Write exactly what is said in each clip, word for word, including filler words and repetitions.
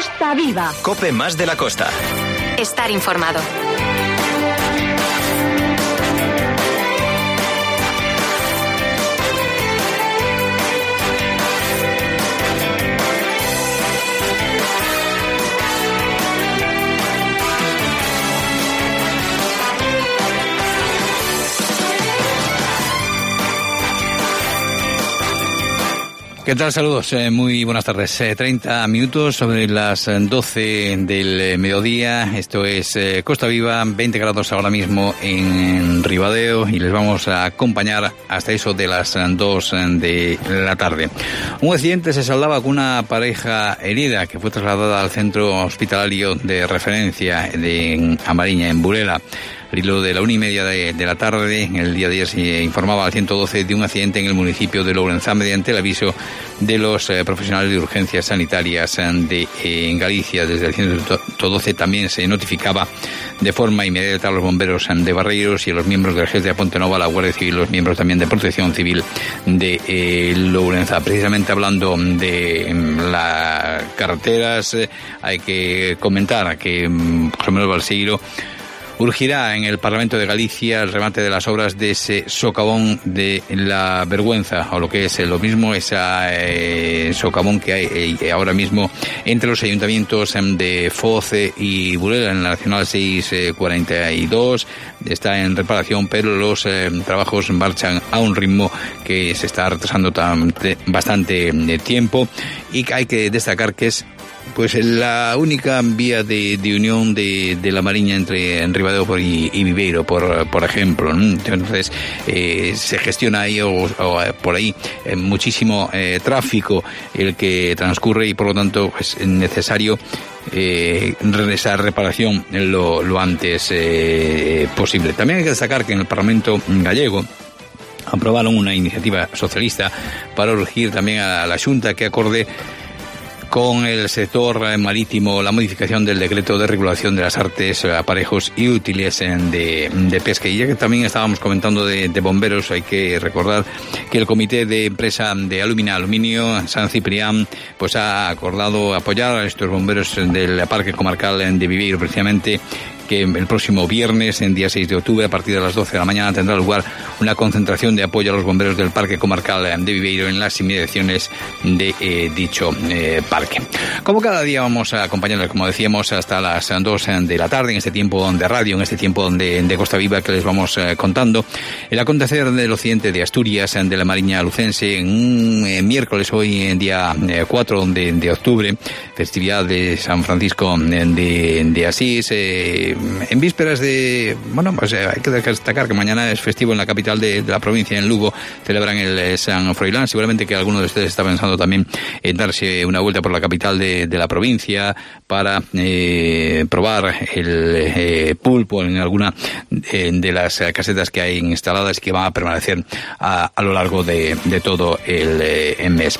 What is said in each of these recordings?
Costa Viva. COPE más de la costa. Estar informado. ¿Qué tal? Saludos, eh, muy buenas tardes. Eh, treinta minutos sobre las doce del eh, mediodía. Esto es eh, Costa Viva, veinte grados ahora mismo en Ribadeo y les vamos a acompañar hasta eso de las dos de la tarde. Un accidente se saldaba con una pareja herida que fue trasladada al centro hospitalario de referencia de Amariña, en Burela. Al hilo de la una y media de, de la tarde, el día de ayer se informaba al ciento doce de un accidente en el municipio de Lourenzá mediante el aviso de los eh, profesionales de urgencias sanitarias de eh, en Galicia. Desde el ciento doce también se notificaba de forma inmediata a los bomberos de Barreiros y a los miembros del G E S de Pontenova, la Guardia Civil, los miembros también de Protección Civil de eh, Lourenzá. Precisamente hablando de eh, las carreteras, eh, hay que comentar que José Manuel Balseiro urgirá en el Parlamento de Galicia el remate de las obras de ese socavón de la vergüenza, o lo que es lo mismo, esa eh, socavón que hay eh, ahora mismo entre los ayuntamientos de Foz y Burela en la Nacional seiscientos cuarenta y dos. Está en reparación, pero los eh, trabajos marchan a un ritmo que se está retrasando tan, bastante eh, tiempo, y hay que destacar que es pues la única vía de, de unión de, de la Mariña entre en Ribadeo y, y Viveiro, por, por ejemplo, ¿no? Entonces eh, se gestiona ahí o, o por ahí eh, muchísimo eh, tráfico el que transcurre, y por lo tanto pues, es necesario eh, esa reparación lo, lo antes eh, posible. También hay que destacar que en el Parlamento gallego aprobaron una iniciativa socialista para urgir también a la Xunta que acorde con el sector marítimo la modificación del decreto de regulación de las artes, aparejos y útiles de, de pesca. Y ya que también estábamos comentando de, de bomberos, hay que recordar que el Comité de Empresa de Alumina Aluminio San Ciprián pues ha acordado apoyar a estos bomberos del Parque Comarcal de Viveiro, precisamente que el próximo viernes, en día seis de octubre, a partir de las doce de la mañana, tendrá lugar una concentración de apoyo a los bomberos del Parque Comarcal de Viveiro en las inmediaciones de eh, dicho eh, parque. Como cada día vamos a acompañarles, como decíamos, hasta las dos de la tarde, en este tiempo de radio, en este tiempo de, de Costa Viva, que les vamos eh, contando el acontecer del occidente de Asturias, de la Mariña Lucense, en un eh, miércoles, hoy en día eh, cuatro de, de octubre, festividad de San Francisco de, de Asís, eh, en vísperas de, bueno, pues eh, hay que destacar que mañana es festivo en la capital de, de la provincia, en Lugo, celebran el eh, San Froilán. Seguramente que alguno de ustedes está pensando también en darse una vuelta por la capital de, de la provincia para eh, probar el eh, pulpo en alguna de, de las casetas que hay instaladas y que van a permanecer a, a lo largo de, de todo el, eh, el mes.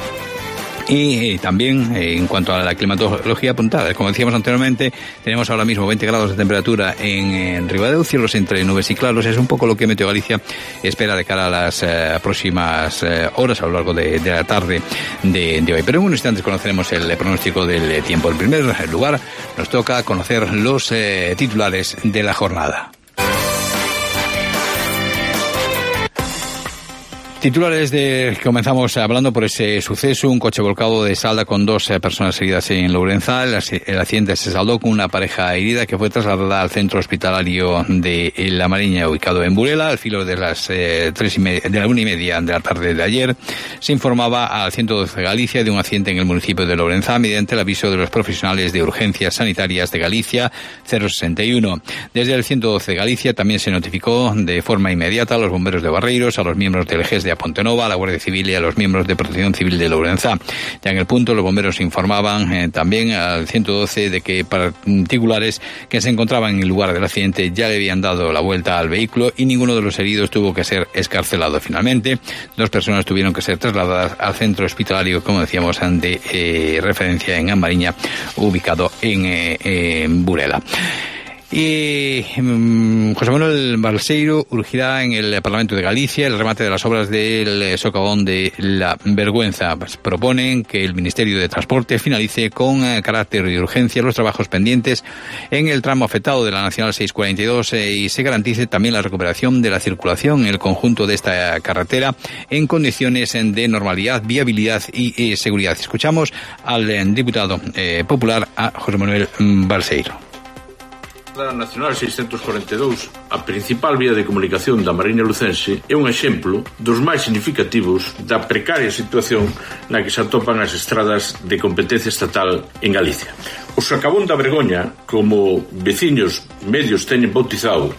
Y eh, también eh, en cuanto a la climatología apuntada, como decíamos anteriormente, tenemos ahora mismo veinte grados de temperatura en, en Ribadeo, cielos entre nubes y claros. Es un poco lo que Meteo Galicia espera de cara a las eh, próximas eh, horas a lo largo de, de la tarde de, de hoy. Pero en unos instantes conoceremos el pronóstico del tiempo. En primer lugar, nos toca conocer los eh, titulares de la jornada. Titulares de comenzamos hablando por ese suceso, un coche volcado de Salda con dos eh, personas heridas en Lourenzá. El, el accidente se saldó con una pareja herida que fue trasladada al centro hospitalario de La Mariña, ubicado en Burela. Al filo de las eh, tres y media, de la una y media de la tarde de ayer, se informaba al ciento doce Galicia de un accidente en el municipio de Lourenzá mediante el aviso de los profesionales de urgencias sanitarias de Galicia cero sesenta y uno. Desde el ciento doce Galicia también se notificó de forma inmediata a los bomberos de Barreiros, a los miembros del G E S de a Pontenova, a la Guardia Civil y a los miembros de Protección Civil de Lourenzá. Ya en el punto, los bomberos informaban eh, también al ciento doce de que particulares que se encontraban en el lugar del accidente ya le habían dado la vuelta al vehículo y ninguno de los heridos tuvo que ser excarcelado. Finalmente, dos personas tuvieron que ser trasladadas al centro hospitalario, como decíamos, de eh, referencia en Amariña, ubicado en, eh, en Burela. Y um, José Manuel Balseiro urgirá en el Parlamento de Galicia el remate de las obras del socavón de La Vergüenza. Pues proponen que el Ministerio de Transporte finalice con eh, carácter de urgencia los trabajos pendientes en el tramo afectado de la Nacional seiscientos cuarenta y dos eh, y se garantice también la recuperación de la circulación en el conjunto de esta carretera en condiciones de normalidad, viabilidad y eh, seguridad. Escuchamos al eh, diputado eh, popular, a José Manuel Balseiro. A Nacional seiscientos cuarenta e dous, a principal vía de comunicación da Mariña Lucense, é un exemplo dos máis significativos da precaria situación na que se atopan as estradas de competencia estatal en Galicia. O socavón da Vergoña, como veciños medios teñen bautizado,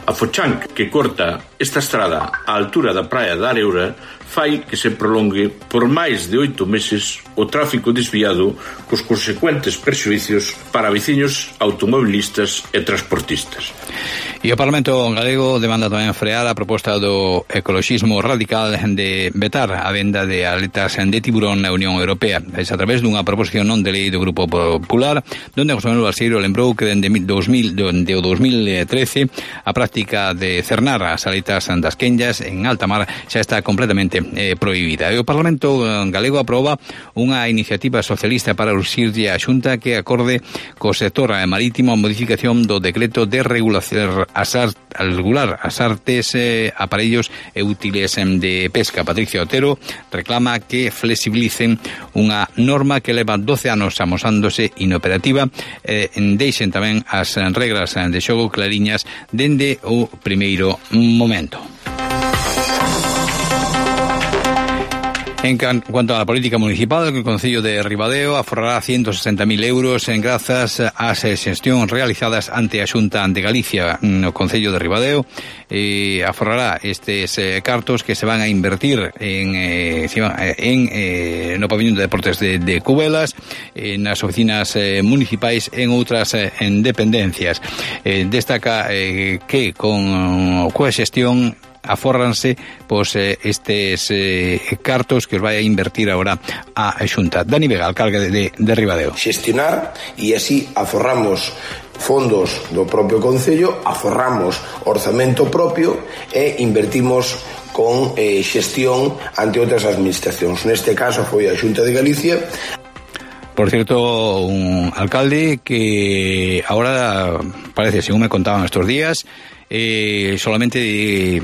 a fochan que corta esta estrada á altura da praia da Areura, fai que se prolongue por máis de oito meses o tráfico desviado cos consecuentes perxuicios para veciños automobilistas e transportistas. E o Parlamento galego demanda tamén frear a proposta do ecoloxismo radical de vetar a venda de aletas de tiburón na Unión Europea. É a través dunha proposición non de lei do Grupo Popular, donde José Manuel Balseiro lembrou que dende dos mil trece a práctica de cernar as aletas das quenllas en alta mar xa está completamente eh, prohibida. E o Parlamento galego aproba unha iniciativa socialista para urxirlle a Xunta que acorde co sector marítimo a modificación do decreto de regulación as art, al regular as artes, eh, aparellos e útiles eh, de pesca. Patricio Otero reclama que flexibilicen unha norma que leva doce anos amosándose inoperativa, eh, deixen tamén as regras de xogo clariñas dende o primeiro momento. En cuanto a la política municipal, el Concello de Ribadeo aforrará ciento sesenta mil euros en grazas ás xestións realizadas ante a Xunta de Galicia. O Concello de Ribadeo eh, aforrará estes eh, cartos que se van a invertir en, eh, en eh, no pabellón de deportes de, de Cubelas, en as oficinas eh, municipais, en outras eh, en dependencias. Eh, destaca eh, que con coa xestión afórranse pois eh, estes eh, cartos que os vai a invertir agora a Xunta. Dani Vega, alcalde de, de Ribadeo. Xestionar e así aforramos fondos do propio Concello, aforramos orzamento propio e invertimos con eh, xestión ante outras administracións. Neste caso foi a Xunta de Galicia. Por cierto, un alcalde que ahora parece, según me contaban estos días, eh, solamente eh,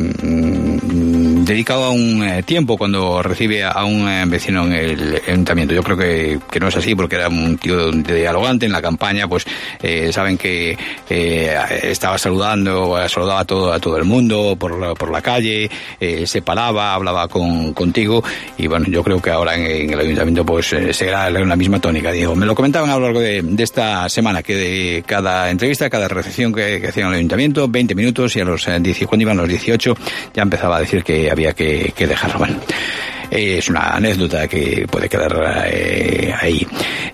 dedicado a un eh, tiempo cuando recibe a un eh, vecino en el ayuntamiento. Yo creo que, que no es así, porque era un tío dialogante en la campaña, pues eh, saben que eh, estaba saludando, saludaba a todo, a todo el mundo por la, por la calle, eh, se paraba, hablaba con, contigo, y bueno, yo creo que ahora en, en el ayuntamiento pues eh, seguirá la misma tónica. Digo, me lo comentaban a lo largo de, de esta semana, que de cada entrevista, cada recepción que, que hacían en el ayuntamiento, veinte minutos, y a los eh, diez, cuando iban los dieciocho ya empezaba a decir que había que, que dejarlo. Bueno, es una anécdota que puede quedar eh, ahí.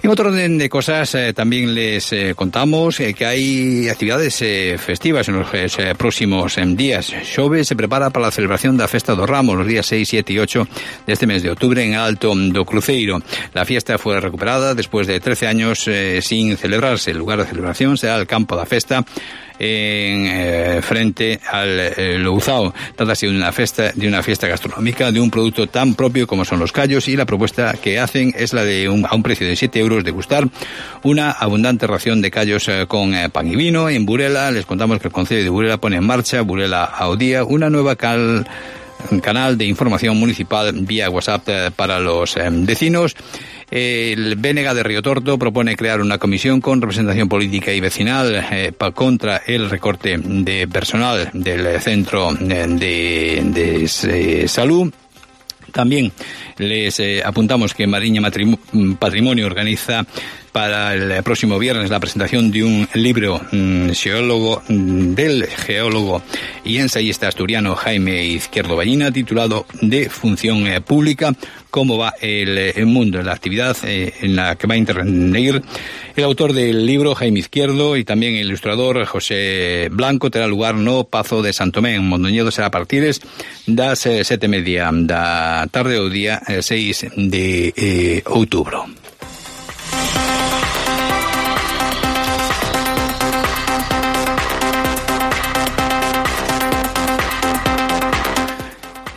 En otro orden de cosas, eh, también les eh, contamos eh, que hay actividades eh, festivas en los eh, próximos eh, días. Xove se prepara para la celebración da Festa do Ramos los días seis, siete y ocho de este mes de octubre en Alto do Cruceiro. La fiesta fue recuperada después de trece años eh, sin celebrarse. El lugar de celebración será el campo da festa, en eh, frente al eh, Louzao. Trata de una fiesta, de una fiesta gastronómica, de un producto tan propio como son los callos, y la propuesta que hacen es la de un, a un precio de siete euros degustar una abundante ración de callos eh, con eh, pan y vino. En Burela les contamos que el Concello de Burela pone en marcha Burela ao Día, una nueva cal un canal de información municipal vía WhatsApp eh, para los eh, vecinos. El B N G de Río Torto propone crear una comisión con representación política y vecinal eh, pa, contra el recorte de personal del centro de, de, de eh, salud. También les eh, apuntamos que Mariña Patrimonio organiza para el próximo viernes la presentación de un libro mmm, geólogo, mmm, del geólogo y ensayista asturiano Jaime Izquierdo Ballina, titulado De Función eh, Pública, cómo va el, el mundo, la actividad eh, en la que va a intervenir el autor del libro, Jaime Izquierdo, y también el ilustrador José Blanco. Terá lugar no Pazo de Santomé, en Mondoñedo. Será a partir das eh, sete e media da tarde o día eh, seis de eh, outubro.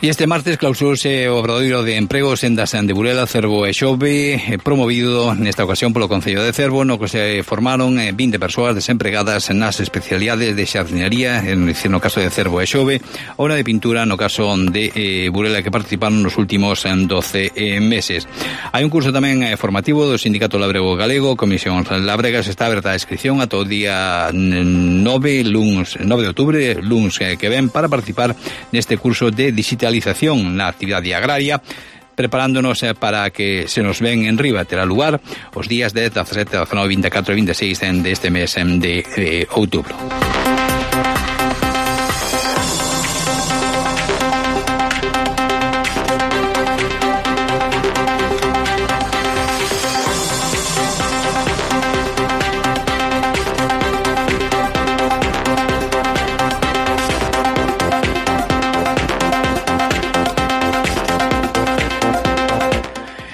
E este martes clausurouse o Obradoiro de Emprego Sendas de Burela, Cervo e Xove, promovido nesta ocasión polo Concello de Cervo, no que se formaron vinte persoas desempregadas nas especialidades de xardinería, no caso de Cervo e Xove, ou na de pintura no caso de eh, Burela, que participaron nos últimos doce eh, meses. Hai un curso tamén eh, formativo do Sindicato Labrego Galego, Comisión Labregas, está aberta a inscripción ata o día nove, luns, nove de outubro, luns eh, que ven, para participar neste curso de digitalización na actividade agraria, preparándonos para que se nos ven en riba. Terá lugar os días de dezasete, dezanove, vinte e catro e vinte e seis deste mes de eh, outubro.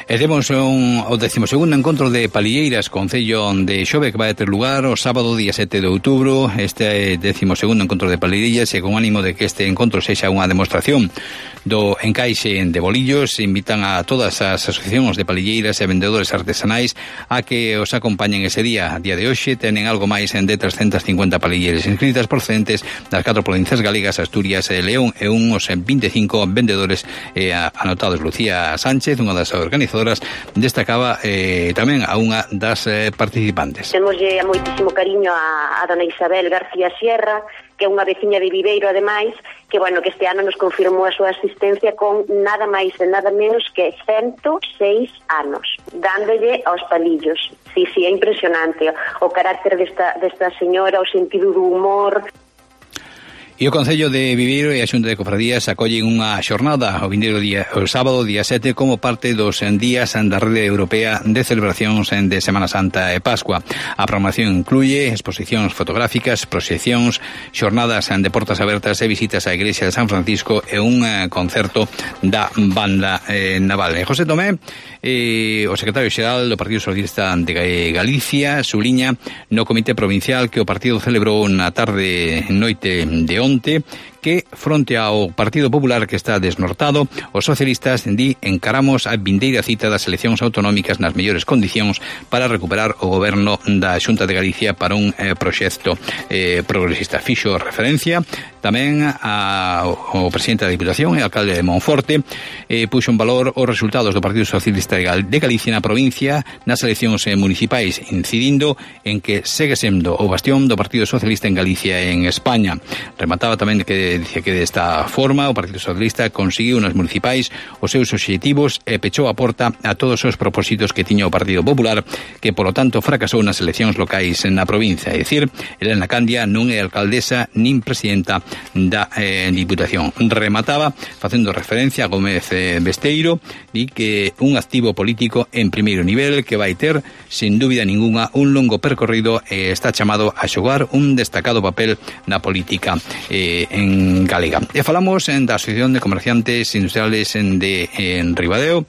E temos un, o decimosegundo encontro de palilleiras Concello de Xove, que vai ter lugar o sábado día sete de outubro. Este decimosegundo encontro de palilleiras, e con ánimo de que este encontro sexa unha demostración do encaixe de bolillos, invitan a todas as asociacións de palilleiras e vendedores artesanais a que os acompañen ese día. A día de hoxe tenen algo máis de trescentas cincuenta palilleiras inscritas procedentes das catro provincias galegas, Asturias e León, e uns vinte e cinco vendedores eh, anotados. Lucía Sánchez, unha das organizadoras, destacaba eh, tamén a unha das eh, participantes. Temoslle moitísimo cariño a, a dona Isabel García Sierra, que é unha veciña de Viveiro, ademais, que, bueno, que este ano nos confirmou a súa asistencia con nada máis e nada menos que ciento seis anos, dándolle aos palillos. Sí, sí, é impresionante o carácter desta, desta señora, o sentido do humor. E o Concello de Viveiro e a Xunta de Cofradías acollen unha xornada o vindeiro día, o sábado día sete, como parte dos días da Rede Europea de Celebracións de Semana Santa e Pascua. A programación incluye exposicións fotográficas, proxeccións, xornadas de portas abertas e visitas á Igrexa de San Francisco e un concerto da Banda eh, Naval. José Tomé, eh, o secretario xeral do Partido Socialista de Galicia, suliña no Comité Provincial que o partido celebrou na tarde noite de onte que, fronte ao Partido Popular que está desnortado, os socialistas di encaramos a vindeira cita das eleccións autonómicas nas mellores condicións para recuperar o goberno da Xunta de Galicia para un eh, proxecto eh, progresista. Fixo referencia tamén a, ao presidente da Diputación e alcalde de Monforte, eh, puxo en valor os resultados do Partido Socialista de Galicia na provincia nas eleccións eh, municipais, incidindo en que segue sendo o bastión do Partido Socialista en Galicia e en España. Remataba tamén que dice que desta forma o Partido Socialista conseguiu nas municipais os seus obxectivos e pechou a porta a todos os propósitos que tiña o Partido Popular, que polo tanto fracasou nas eleccións locais na provincia. É dicir, Elena Candia non é alcaldesa nin presidenta da eh, Diputación. Remataba facendo referencia a Gómez eh, Besteiro, di que un activo político en primeiro nivel que vai ter, sin dúbida ninguna, un longo percorrido e eh, está chamado a xogar un destacado papel na política eh, en galega. E falamos en da Asociación de Comerciantes Industriales en, de, en Ribadeo,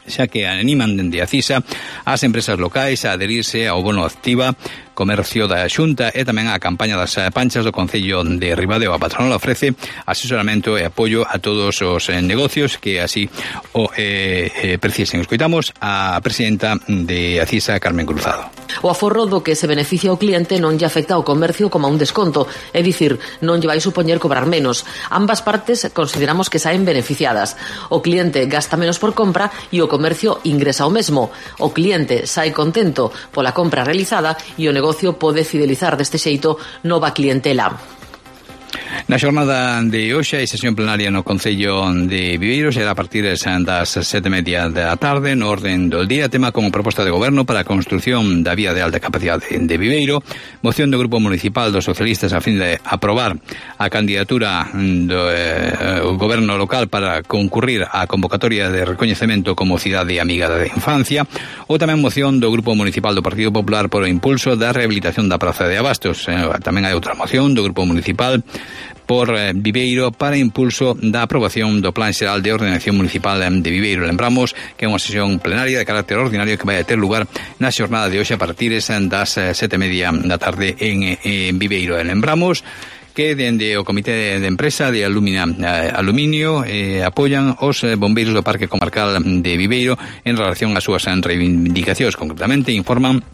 xa que animan dende a CISA as empresas locais a adherirse ao bono activa Comercio da Xunta e tamén a campaña das panchas do Concello de Ribadeo. A patronal ofrece asesoramento e apoio a todos os eh, negocios que así o eh, eh, precisen. Escoitamos a presidenta de ACISA, Carmen Cruzado. O aforro do que se beneficia o cliente non lle afecta ao comercio como a un desconto, é dicir, non lle vai supoñer cobrar menos. Ambas partes consideramos que saen beneficiadas. O cliente gasta menos por compra e o comercio ingresa o mesmo. O cliente sae contento pola compra realizada e o negocio pode fidelizar deste xeito nova clientela. Na xornada de hoxe hai sesión plenaria no Concello de Viveiro, será a partir das sete e media da tarde, no orden do día, tema como proposta de goberno para a construción da vía de alta capacidade de Viveiro, moción do Grupo Municipal dos Socialistas a fin de aprobar a candidatura do eh, goberno local para concurrir á convocatoria de recoñecemento como cidade amiga da infancia, ou tamén moción do Grupo Municipal do Partido Popular por o impulso da rehabilitación da Praza de Abastos. Eh, tamén hai outra moción do Grupo Municipal por eh, Viveiro para impulso da aprobación do Plan Xeral de Ordenación Municipal de Viveiro. Lembramos que é unha sesión plenaria de carácter ordinario que vai a ter lugar na xornada de hoxe a partir das sete e media da tarde en, en Viveiro. E lembramos que dende o Comité de Empresa de Alumina, eh, Aluminio eh, apoian os eh, bombeiros do Parque Comarcal de Viveiro en relación ás súas reivindicacións. Concretamente informan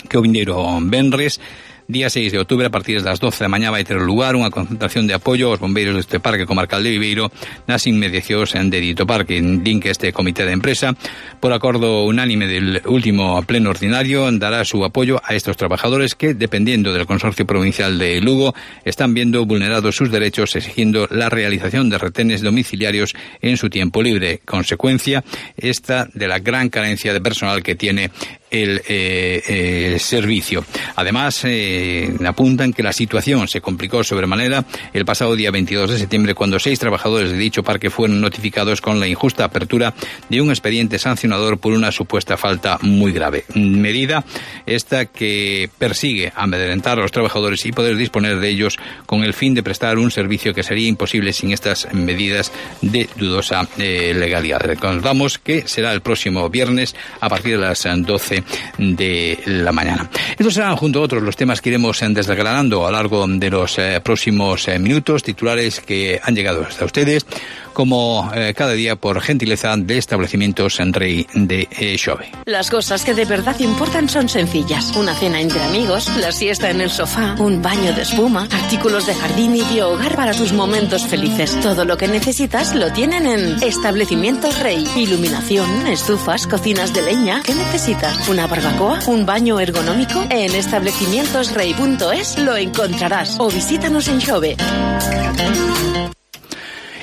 que o vindeiro venres día seis de outubro, a partir das doce da mañá, vai ter lugar unha concentración de apoio aos bombeiros deste Parque Comarcal de Viveiro nas inmediacións de dito parque. Din que este comité de empresa, por acordo unánime del último pleno ordinario, dará su apoyo a estos trabajadores que, dependiendo del Consorcio Provincial de Lugo, están viendo vulnerados sus derechos, exigiendo la realización de retenes domiciliarios en su tiempo libre. Consecuencia esta de la gran carencia de personal que tiene el eh, eh, servicio. Además, eh, apuntan que la situación se complicó sobremanera el pasado día veintidós de septiembre, cuando seis trabajadores de dicho parque fueron notificados con la injusta apertura de un expediente sancionador por una supuesta falta muy grave. Medida esta que persigue amedrentar a los trabajadores y poder disponer de ellos con el fin de prestar un servicio que sería imposible sin estas medidas de dudosa eh, legalidad. Recordamos que será el próximo viernes a partir de las doce de la mañana. Estos serán, junto a otros, los temas que iremos desgranando a lo largo de los eh, próximos eh, minutos, titulares que han llegado hasta ustedes, como eh, cada día por gentileza de establecimientos en Rey de eh, Xove. Las cosas que de verdad importan son sencillas. Una cena entre amigos, la siesta en el sofá, un baño de espuma, artículos de jardín y de hogar para tus momentos felices. Todo lo que necesitas lo tienen en Establecimientos Rey. Iluminación, estufas, cocinas de leña. ¿Qué necesitas? ¿Una barbacoa? ¿Un baño ergonómico? En establecimientos rey punto es lo encontrarás. O visítanos en Xove.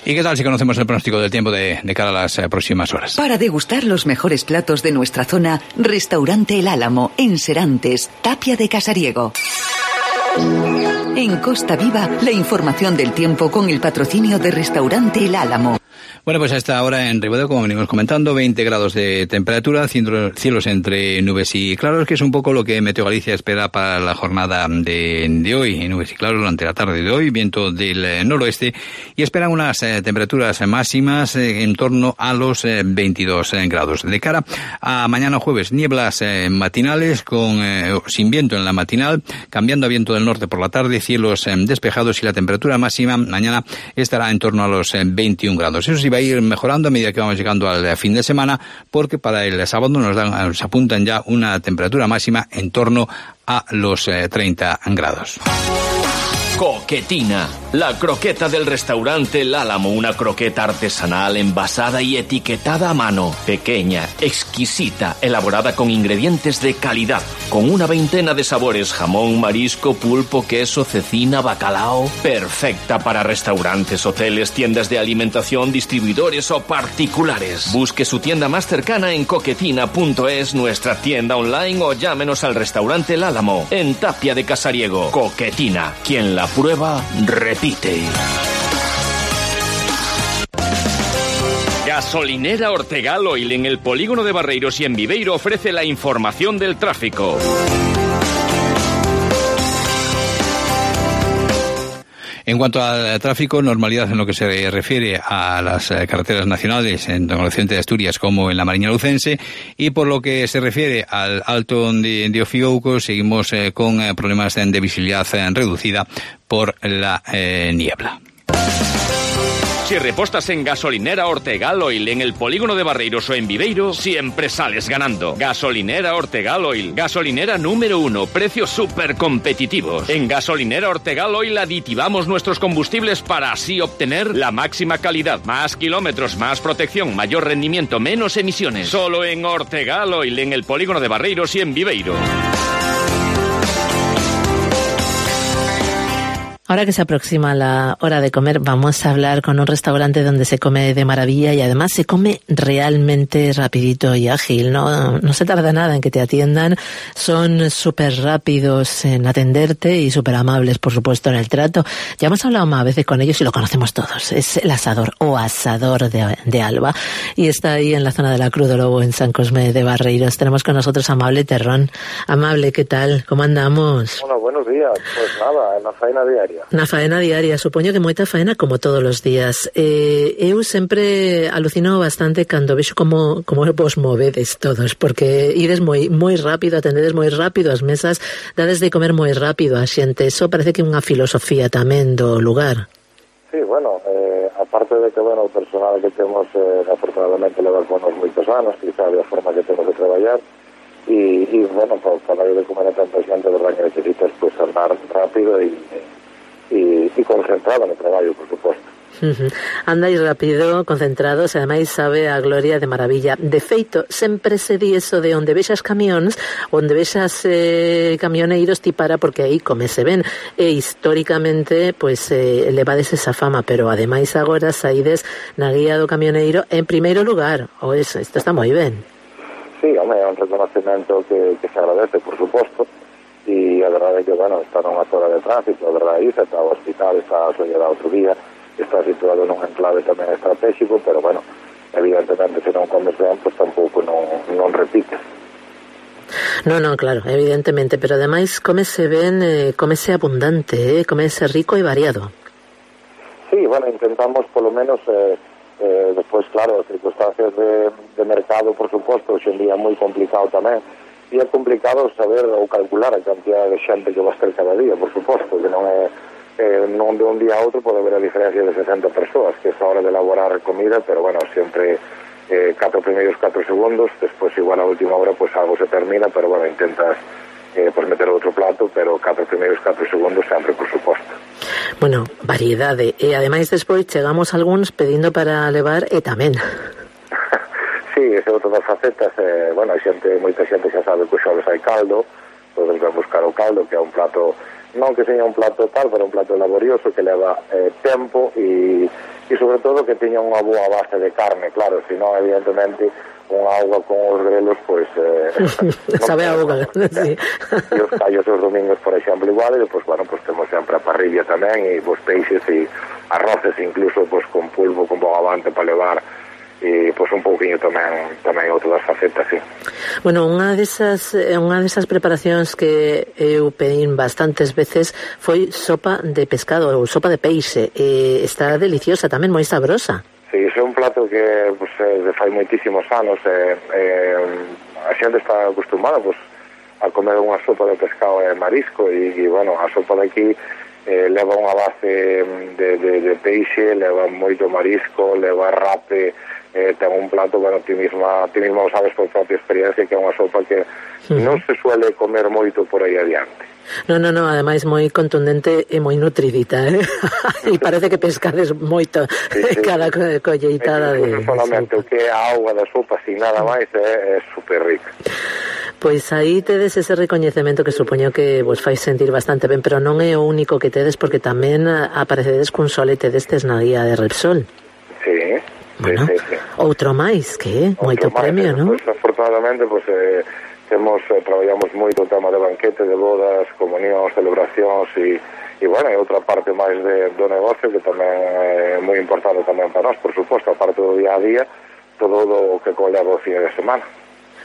¿Y qué tal si conocemos el pronóstico del tiempo de, de cara a las eh, próximas horas? Para degustar los mejores platos de nuestra zona, Restaurante El Álamo, en Serantes, Tapia de Casariego. En Costa Viva, la información del tiempo con el patrocinio de Restaurante El Álamo. Bueno, pues a esta hora en Ribadeo, como venimos comentando, veinte grados de temperatura, cielos entre nubes y claros, que es un poco lo que Meteo Galicia espera para la jornada de, de hoy. Nubes y claros durante la tarde de hoy, viento del noroeste, y esperan unas eh, temperaturas máximas eh, en torno a los eh, veintidós grados. De cara a mañana jueves, nieblas eh, matinales con eh, sin viento en la matinal, cambiando a viento del norte por la tarde, cielos eh, despejados, y la temperatura máxima mañana estará en torno a los eh, veintiún grados. Eso sí, va a ir mejorando a medida que vamos llegando al fin de semana, porque para el sábado nos, dan, nos apuntan ya una temperatura máxima en torno a los eh, treinta grados. Coquetina, la croqueta del restaurante El Álamo, una croqueta artesanal envasada y etiquetada a mano, pequeña, exquisita, elaborada con ingredientes de calidad, con una veintena de sabores: jamón, marisco, pulpo, queso, cecina, bacalao, perfecta para restaurantes, hoteles, tiendas de alimentación, distribuidores o particulares. Busque su tienda más cercana en coquetina punto es, nuestra tienda online, o llámenos al restaurante El Álamo, en Tapia de Casariego. Coquetina, quien la prueba, repite. Gasolinera Ortegal Oil, en el polígono de Barreiros y en Viveiro, ofrece la información del tráfico. En cuanto al tráfico, normalidad en lo que se refiere a las carreteras nacionales, en el occidente de Asturias como en la Mariña Lucense, y por lo que se refiere al Alto de, de Ofiouco, seguimos eh, con eh, problemas de visibilidad eh, reducida por la eh, niebla. Si repostas en Gasolinera Ortegal Oil, en el polígono de Barreiros o en Viveiro, siempre sales ganando. Gasolinera Ortegal Oil, gasolinera número uno, precios súper competitivos. En Gasolinera Ortegal Oil aditivamos nuestros combustibles para así obtener la máxima calidad, más kilómetros, más protección, mayor rendimiento, menos emisiones. Solo en Ortegal Oil, en el polígono de Barreiros y en Viveiro. Ahora que se aproxima la hora de comer, vamos a hablar con un restaurante donde se come de maravilla y además se come realmente rapidito y ágil, ¿no? No se tarda nada en que te atiendan, son súper rápidos en atenderte y súper amables, por supuesto, en el trato. Ya hemos hablado más veces con ellos y lo conocemos todos. Es el Asador o Asador de, de Alba, y está ahí en la zona de la Cruz do Lobo, en San Cosme de Barreiros. Tenemos con nosotros a Amable Terrón. Amable, ¿qué tal? ¿Cómo andamos? Hola, buenos días. Pues nada, en la faena diaria. día. Na faena diaria, supoño que moita faena como todos os días. Eh, eu sempre alucino bastante cando vexo como, como vos movedes todos, porque ides moi moi rápido, atendedes moi rápido as mesas, dades de comer moi rápido a xente. Eso parece que é unha filosofía tamén do lugar. Sí, bueno, eh, aparte de que, bueno, o personal que temos, eh, afortunadamente, leva con nos moitos anos, que sabe a forma que temos de traballar, y, y bueno, para, para ir de comer a tanta xente, de verdad que necesitas pues andar rápido y, y, y concentrado no traballo, por suposto. Uh-huh. Andais rápido, concentrados, e ademais sabe a gloria de maravilla. De feito, sempre se di eso de onde vexas camións, onde vexas eh, camioneiros ti para, porque aí come se ven, e históricamente pois eh, levades esa fama, pero ademais agora saides na guía do camioneiro en primeiro lugar. O eso, isto está moi ben. Sí, home, é un reconocimento que, que se agradece, por suposto, e a verdade é que, bueno, está nunha zona de tránsito, a verdade é que está o hospital, está a soñada outro día, está situado nun enclave tamén estratégico, pero, bueno, evidentemente, se non comes ben, pues tampouco non, non repites. Non, non, claro, evidentemente, pero ademais comese ben, eh, comese abundante, eh, comese rico e variado. Sí, bueno, intentamos, polo menos... Eh, Eh, despois, claro, as circunstancias de, de mercado, por suposto, hoxe en día é moi complicado tamén, e é complicado saber ou calcular a cantidad de xente que va a ter cada día, por suposto, que non é eh, non de un día a outro pode haber a diferencia de sesenta persoas, que é a hora de elaborar comida, pero bueno, sempre eh, catro primeiros catro segundos, despois igual a última hora pues algo se termina, pero bueno, intentas eh, pues meter outro plato, pero catro primeiros catro segundos sempre, por suposto. Bueno, variedade, e ademais despois chegamos algúns pedindo para levar e tamén. Sí, ese é outro das facetas, eh, bueno, a xente, moita xente xa sabe que os xoves hai caldo, todos van buscar o caldo, que é un plato, non que seña un plato tal, pero un plato laborioso que leva eh, tempo e, e sobre todo que teña unha boa base de carne, claro, senón evidentemente unha auga con os grelos, pois... Eh, sabe a auga, sí. E os callos os domingos, por exemplo, igual, e depois, bueno, pues temos sempre a parrilla tamén, e os peixes e arroces, incluso, pues con pulpo, con bogavante para levar, e pois un pouquiño tamén tamén outras facetas, sí. Bueno, unha desas unha desas preparacións que eu pedín bastantes veces foi sopa de pescado ou sopa de peixe, e está deliciosa tamén, moi sabrosa. Sí, iso é un plato que pues, de fai moitísimos anos, eh, eh, a xente está acostumada pues, a comer unha sopa de pescado e marisco, e, e bueno, a sopa de aquí eh, leva unha base de, de, de peixe, leva moito marisco, leva rape, eh, ten un plato, bueno, ti misma, ti misma o sabes por propia experiencia, que é unha sopa que uh-huh. non se suele comer moito por aí adiante. No, no, no, ademais moi contundente e moi nutridita, eh? E parece que pescades moito sí, sí, cada sí. colleitada de, de solamente sopa. O que é a auga da sopa, sin nada máis, é, é super rica. Pois aí tedes ese recoñecemento que supoño que vos fai sentir bastante ben, pero non é o único que tedes, porque tamén aparecedes cun solete destes na guía de Repsol. Sí, bueno, sí, sí, sí. Outro máis, que é moito premio, non? Pues, afortunadamente, pois... Pues, eh, Temos, eh, traballamos moito o tema de banquete, de bodas, comunións, celebracións e, e bueno, é outra parte máis de, do negocio que tamén é moi importante tamén para nós, por suposto, a parte do día a día, todo o que coleva o fin de semana.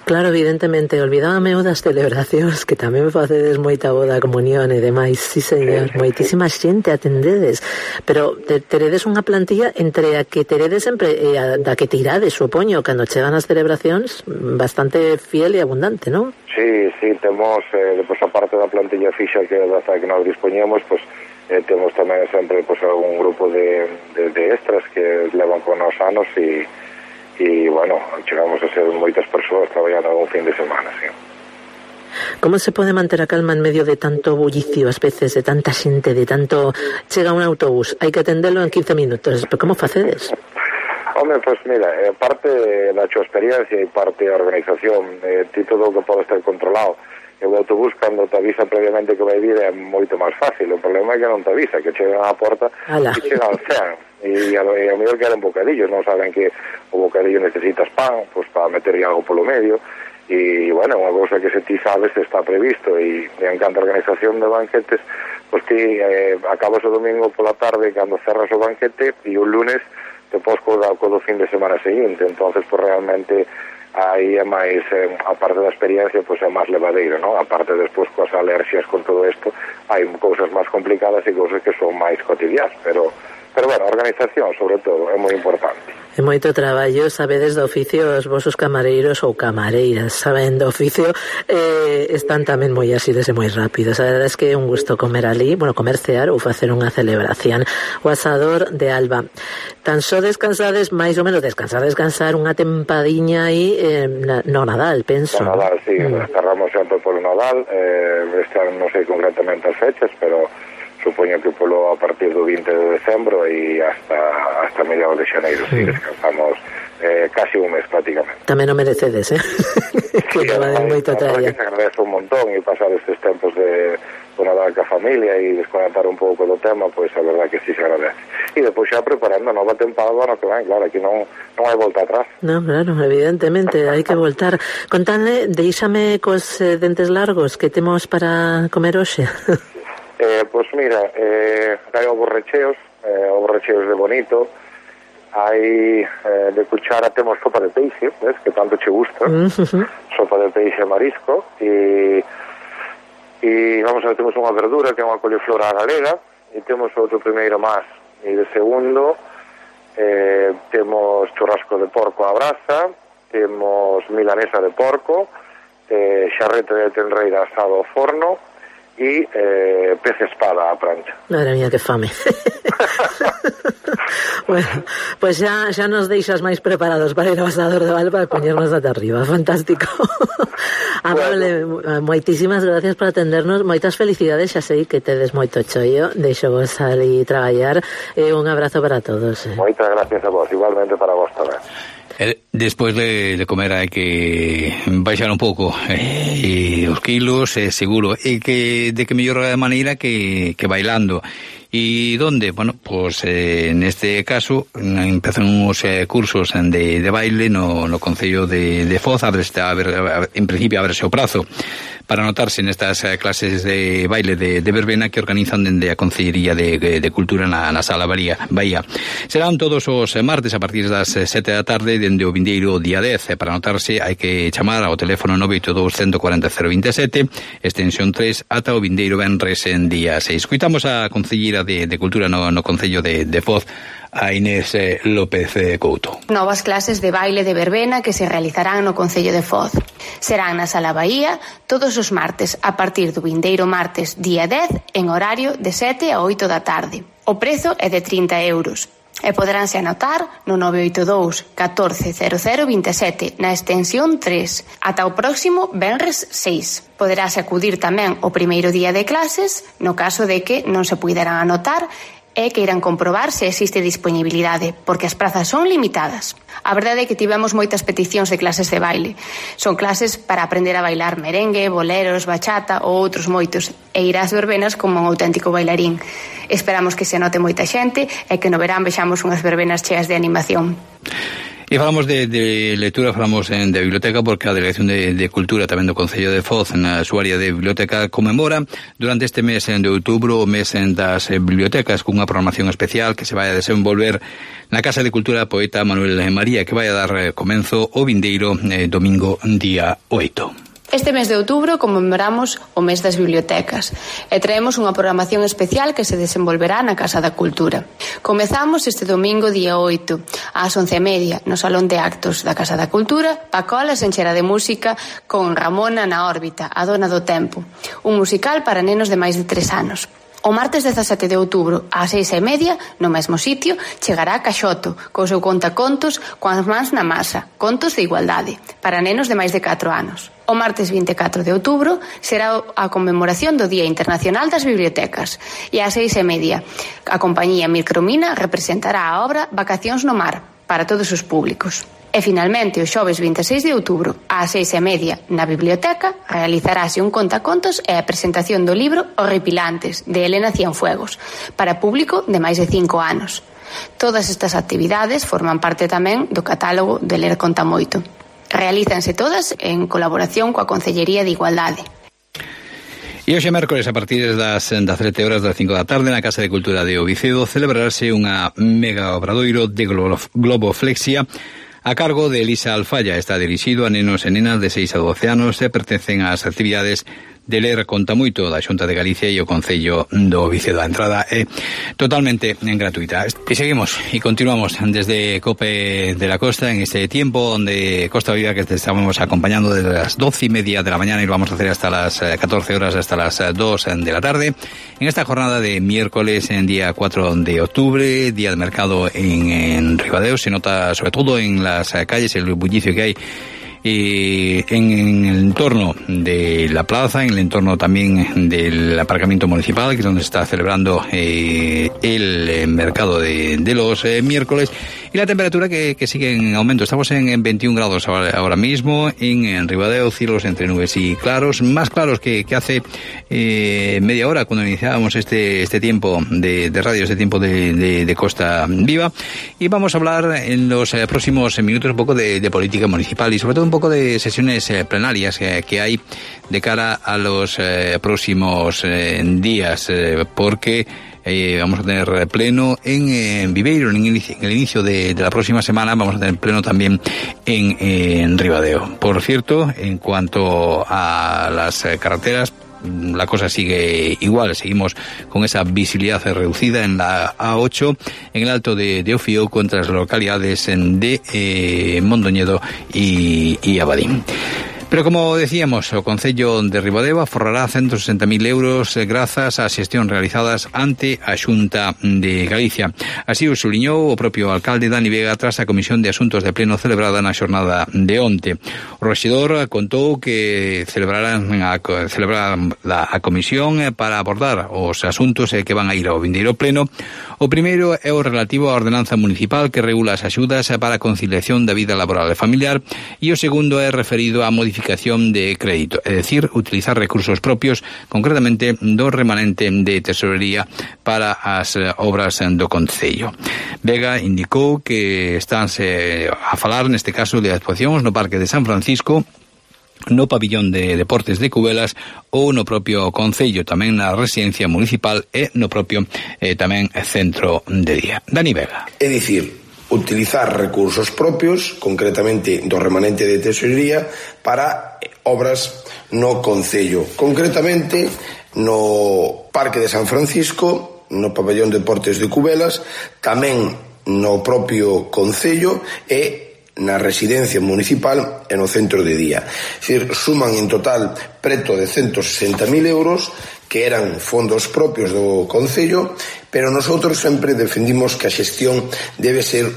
Claro, evidentemente, olvidábame o das celebracións, que tamén facedes moita boda, comunión e demais, sí, señor, sí, sí, moitísima sí. xente atendedes, pero te, teredes unha plantilla entre a que teredes sempre e a da que tirades, supoño, cando chegan as celebracións, bastante fiel e abundante, non? Sí, sí, temos, eh, depois a parte da plantilla fixa que da que nos dispoñemos, pues, eh, temos tamén sempre pues, algún grupo de, de, de extras que levan con nos anos e e, bueno, chegamos a ser moitas persoas traballando un fin de semana, sí. Como se pode manter a calma en medio de tanto bullicio, ás veces, de tanta xente, de tanto... Chega un autobús, hai que atendelo en quince minutos, pero como facedes? Home, pois pues, mira, eh, parte da súa experiencia e parte da organización, eh, ti todo o que pode estar controlado. E o autobús, cando te avisa previamente que vai vir, é moito máis fácil. O problema é que non te avisa, que chegan á porta Ala. e chegan cen. E a, e a mellor queren bocadillos, non saben que o bocadillo necesitas pan, pois para meter algo polo medio. E, bueno, unha cousa que se ti sabes está previsto, e, e en canto a organización de banquetes, pois ti eh, acabas o domingo pola tarde cando cerras o banquete, e o lunes te podes co do fin de semana seguinte. Entonces, pois realmente aí é máis, eh, a parte da experiencia, pois é máis levadeira, non? A parte despois coas alerxias, con todo isto, hai cousas máis complicadas e cousas que son máis cotidianas, pero, pero bueno, a organización, sobre todo, é moi importante. É moito traballo, sabedes do oficio, os vosos camareiros ou camareiras saben do oficio, eh, están tamén moi asides e moi rápidos. A verdade é que é un gusto comer ali, bueno, comercear ou facer unha celebración. O asador de Alba. Tan só descansades, máis ou menos descansar, descansar unha tempadiña aí eh, no Nadal, penso. No Nadal, sí, mm. Estarramos sempre polo Nadal, eh, este ano non sei concretamente as fechas, pero supoño que polo a partir do vinte de decembro e hasta hasta mediados de xaneiro, sí, descansamos eh, casi un mes prácticamente. Tamén o merecedes, eh? Que sí, vale moito traballo. Que se agradece un montón e pasar estes tempos de Nadal ca familia e desconectar un pouco do tema, pois a verdad que sí se agradece. E depois xa preparando a nova tempada do ano que ven, claro, aquí non, non hai volta atrás. Non, claro, evidentemente, hai que voltar. Contadle, deixame cos eh, dentes largos que temos para comer hoxe. Eh, pois mira, eh, hai ovos recheos, eh, ovos recheos de bonito, hai eh, de cuchara temos sopa de peixe, ves, que tanto che gusta, uh-huh. Sopa de peixe marisco, e, e vamos a ver, temos unha verdura que é unha coliflor á galega, e temos outro primeiro máis, e de segundo eh, temos churrasco de porco á brasa, temos milanesa de porco, eh, xarrete de tenreira asado ao forno, e eh, pez espada á plancha. Madre mía, que fame. Bueno, pues xa, xa nos deixas máis preparados para ir ao asador de Alba e poñernos ata arriba. Fantástico. Amable, bueno. Moitísimas gracias por atendernos. Moitas felicidades, xa sei que tedes moito chollo. Deixo vos ali traballar. E un abrazo para todos. Eh. Moitas gracias a vos, igualmente para vos tamén. Despois de, de comer hai que baixar un pouco eh, os kilos, eh, seguro, e que de que mellor maneira que, que bailando. E donde? Bueno, pues eh, neste caso empezan uns eh, cursos de, de baile no, no Concello de, de Foz, a ver, a ver, en principio a verse o prazo para anotarse nestas eh, clases de baile de, de verbena que organizan dende a Concellería de, de, de Cultura na, na Sala Bahía. Bahía. Serán todos os martes a partir das sete da tarde dende o vindeiro día dez. Para anotarse hai que chamar ao teléfono nove oito dous, uno cuatro cero, cero dos sete, extensión tres, ata o vindeiro venres en día seis. Escuitamos a Concelleira de, de Cultura no, no Concello de, de Foz, a Inés eh, López eh, Couto. Novas clases de baile de verbena que se realizarán no Concello de Foz. Serán na Sala Bahía todos os martes a partir do vindeiro martes día dez en horario de sete a oito da tarde. O prezo é de trinta euros. E poderánse anotar no nove oito dous, catorce, cero cero, veintisiete na extensión tres. Ata o próximo venres seis. Poderase acudir tamén o primeiro día de clases no caso de que non se puideran anotar e que irán comprobar se existe disponibilidade, porque as prazas son limitadas. A verdade é que tivemos moitas peticións de clases de baile. Son clases para aprender a bailar merengue, boleros, bachata ou outros moitos, e ir ás verbenas como un auténtico bailarín. Esperamos que se note moita xente e que no verán vexamos unhas verbenas cheas de animación. E falamos de, de lectura, falamos en, de biblioteca, porque a Delegación de, de Cultura tamén do Concello de Foz na súa área de biblioteca conmemora durante este mes de outubro o mes das bibliotecas cunha programación especial que se vai a desenvolver na Casa de Cultura Poeta Manuel María, que vai a dar comenzo o vindeiro eh, domingo día oito. Este mes de outubro conmemoramos o mes das bibliotecas e traemos unha programación especial que se desenvolverá na Casa da Cultura. Comezamos este domingo día oito ás once e media no Salón de Actos da Casa da Cultura. Pacola se encherá de música con Ramona na órbita, a dona do tempo, un musical para nenos de máis de tres anos. O martes dezasete de outubro, ás seis e media, no mesmo sitio, chegará Caxoto, co seu contacontos coas mans na masa, contos de igualdade, para nenos de máis de catro anos. O martes vinte e catro de outubro será a conmemoración do Día Internacional das Bibliotecas, e ás seis e media, a compañía Micromina representará a obra Vacacións no Mar, para todos os públicos. E finalmente, o xoves vinte e seis de outubro, ás seis e media, na biblioteca, realizarase un contacontos e a presentación do libro Horripilantes, de Elena Cienfuegos, para público de máis de cinco anos. Todas estas actividades forman parte tamén do catálogo de Ler Conta Moito. Realízanse todas en colaboración coa Concellería de Igualdade. E hoxe mércoles a partir das dezasete horas das cinco da tarde na Casa de Cultura de Ovicedo celebrarase unha mega obradoiro de globoflexia a cargo de Elisa Alfaya. Está dirixido a nenos e nenas de seis a doce anos e pertencen ás actividades de Ler Conta Moito da Xunta de Galicia e o Concello do Vicedo. A entrada é totalmente gratuita. E seguimos e continuamos desde COPE de la Costa en este tiempo donde Costa Viva, que te estamos acompañando desde las doce y media de la mañana y lo vamos a hacer hasta las catorce horas, hasta las dos de la tarde, en esta jornada de miércoles, en día cuatro de octubre, día de mercado en, en Ribadeo. Se nota sobre todo en las calles el bullicio que hay Eh, en, en el entorno de la plaza, en el entorno también del aparcamiento municipal, que es donde se está celebrando eh, el eh, mercado de, de los eh, miércoles, y la temperatura que, que sigue en aumento. Estamos en, en veintiún grados ahora, ahora mismo en, en Ribadeo, cielos entre nubes y claros, más claros que, que hace eh, media hora cuando iniciábamos este este tiempo de, de radio, este tiempo de, de, de Costa Viva. Y vamos a hablar en los eh, próximos minutos un poco de, de política municipal y sobre todo un poco de sesiones eh, plenarias eh, que hay de cara a los eh, próximos eh, días, eh, porque eh, vamos a tener pleno en, eh, en Viveiro, en el inicio, en el inicio de, de la próxima semana vamos a tener pleno también en, en Ribadeo. Por cierto, en cuanto a las eh, carreteras, la cosa sigue igual, seguimos con esa visibilidad reducida en la A ocho, en el Alto de, de Ofío, contra las localidades de eh, Mondoñedo y, y Abadín. Pero como decíamos, o Concello de Ribadeo aforrará ciento sesenta mil euros grazas ás xestións realizadas ante a Xunta de Galicia. Así o suliñou o propio alcalde Dani Vega tras a Comisión de Asuntos de Pleno celebrada na xornada de onte. O rexedor contou que celebrarán a, celebrarán a comisión para abordar os asuntos que van a ir ao vindeiro pleno. O primeiro é o relativo á ordenanza municipal que regula as axudas para a conciliación da vida laboral e familiar, e o segundo é referido á modificación de crédito, é dicir, utilizar recursos propios, concretamente do remanente de tesorería para as obras do Concello. Vega indicou que estánse a falar neste caso de actuacións no Parque de San Francisco, no pabillón de deportes de Cubelas ou no propio Concello, tamén na residencia municipal e no propio eh, tamén centro de día. Dani Vega. É dicir, utilizar recursos propios, concretamente do remanente de tesorería, para obras no Concello, concretamente no Parque de San Francisco, no Pabellón de Deportes de Cubelas, tamén no propio Concello e na residencia municipal e no centro de día. É dicir, suman en total preto de ciento sesenta mil euros que eran fondos propios do Concello, pero nosotros sempre defendimos que a xestión debe ser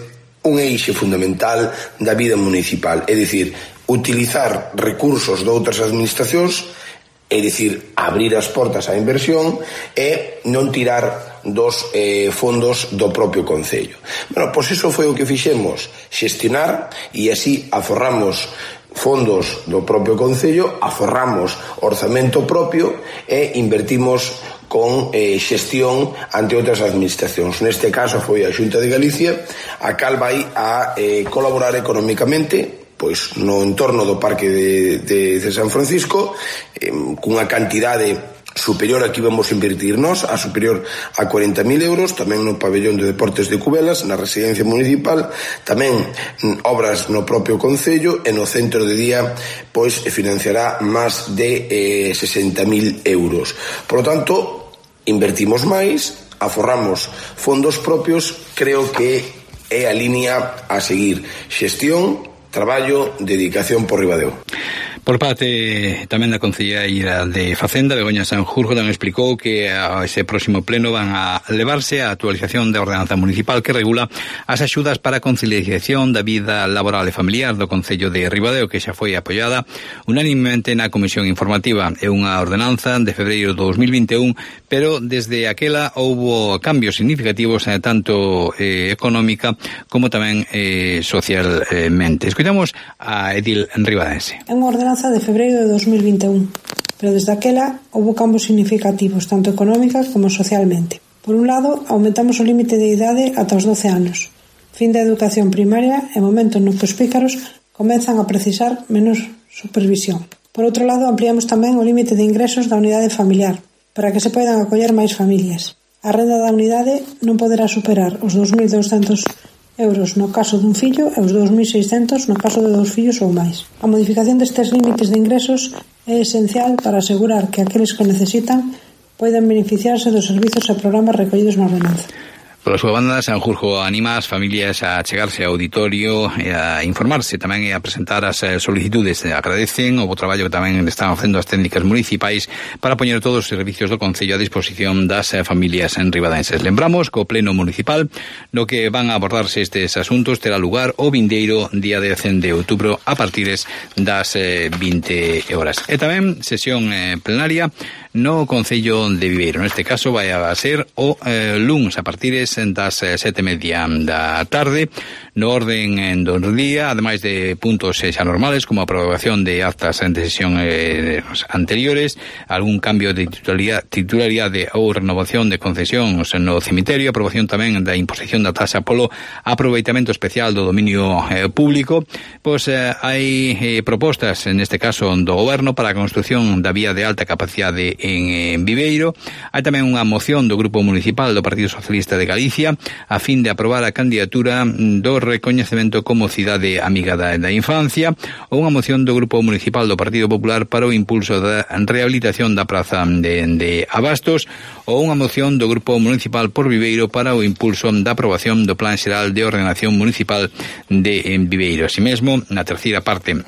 un eixe fundamental da vida municipal, é dicir, utilizar recursos de outras administracións, é dicir, abrir as portas á inversión e non tirar dos eh, fondos do propio Concello. Bueno, pois iso foi o que fixemos, xestionar, e así aforramos fondos do propio Concello, aforramos orzamento propio e invertimos con eh, xestión ante outras administracións. Neste caso foi a Xunta de Galicia, a cal vai a eh, colaborar económicamente pois no entorno do Parque de, de, de San Francisco, eh, cunha cantidade superior a que íbamos a invertir nós, a superior a cuarenta mil euros, tamén no pabellón de deportes de Cubelas, na residencia municipal, tamén obras no propio Concello, e no centro de día pois financiará máis de eh, sesenta mil euros. Por lo tanto, invertimos máis, aforramos fondos propios, creo que é a línea a seguir: xestión, traballo, dedicación por Ribadeo. Por parte tamén da concelleira de Facenda, Begoña Sanjurjo, tamén explicou que a ese próximo pleno van a levarse a actualización da ordenanza municipal que regula as axudas para a conciliación da vida laboral e familiar do Concello de Ribadeo, que xa foi apoiada unanimemente na Comisión Informativa. É unha ordenanza de febreiro de dos mil vinte e un, pero desde aquela houbo cambios significativos eh, tanto eh, económica como tamén eh, socialmente. Escoitamos a Edil Ribadense. É unha ordenanza de febreiro de dos mil vinte e un, pero desde aquela houbo cambios significativos, tanto económica como socialmente. Por un lado, aumentamos o límite de idade ata os doce anos, fin da educación primaria e momento no que os pícaros comenzan a precisar menos supervisión. Por outro lado, ampliamos tamén o límite de ingresos da unidade familiar, para que se poidan acoller máis familias. A renda da unidade non poderá superar os dos mil douscentos euros no caso dun fillo e os dous mil seiscentos no caso de dous fillos ou máis. A modificación destes límites de ingresos é esencial para asegurar que aqueles que necesitan poden beneficiarse dos servizos e programas recollidos na ordenanza. Pola súa banda, Sanjurjo anima as familias a chegarse ao auditorio e a informarse tamén e a presentar as solicitudes. Agradecen o bo traballo que tamén están facendo as técnicas municipais para poñer todos os servicios do Concello a disposición das familias enribadenses. Lembramos que o Pleno Municipal no que van a abordarse estes asuntos terá lugar o vindeiro día dez de outubro a partires das vinte horas. E tamén sesión plenaria no Concello de Viveiro. Neste caso vai a ser o eh, luns a partires das eh, sete e media da tarde. No orden do día, ademais de puntos eh, xa normales como a aprobación de actas de sesión eh, anteriores, algún cambio de titularidade, titularidade ou renovación de concesións no cemiterio, aprobación tamén da imposición da taxa polo aproveitamento especial do dominio eh, público. Pois eh, hai eh, propostas, neste caso do Goberno, para a construción da vía de alta capacidade en, en Viveiro. Hai tamén unha moción do Grupo Municipal do Partido Socialista de Galicia a fin de aprobar a candidatura do recoñecemento como cidade amiga da, da infancia, ou unha moción do Grupo Municipal do Partido Popular para o impulso da rehabilitación da praza de, de Abastos, ou unha moción do Grupo Municipal por Viveiro para o impulso da aprobación do Plan Xeral de Ordenación Municipal de Viveiro. Así mesmo, na terceira parte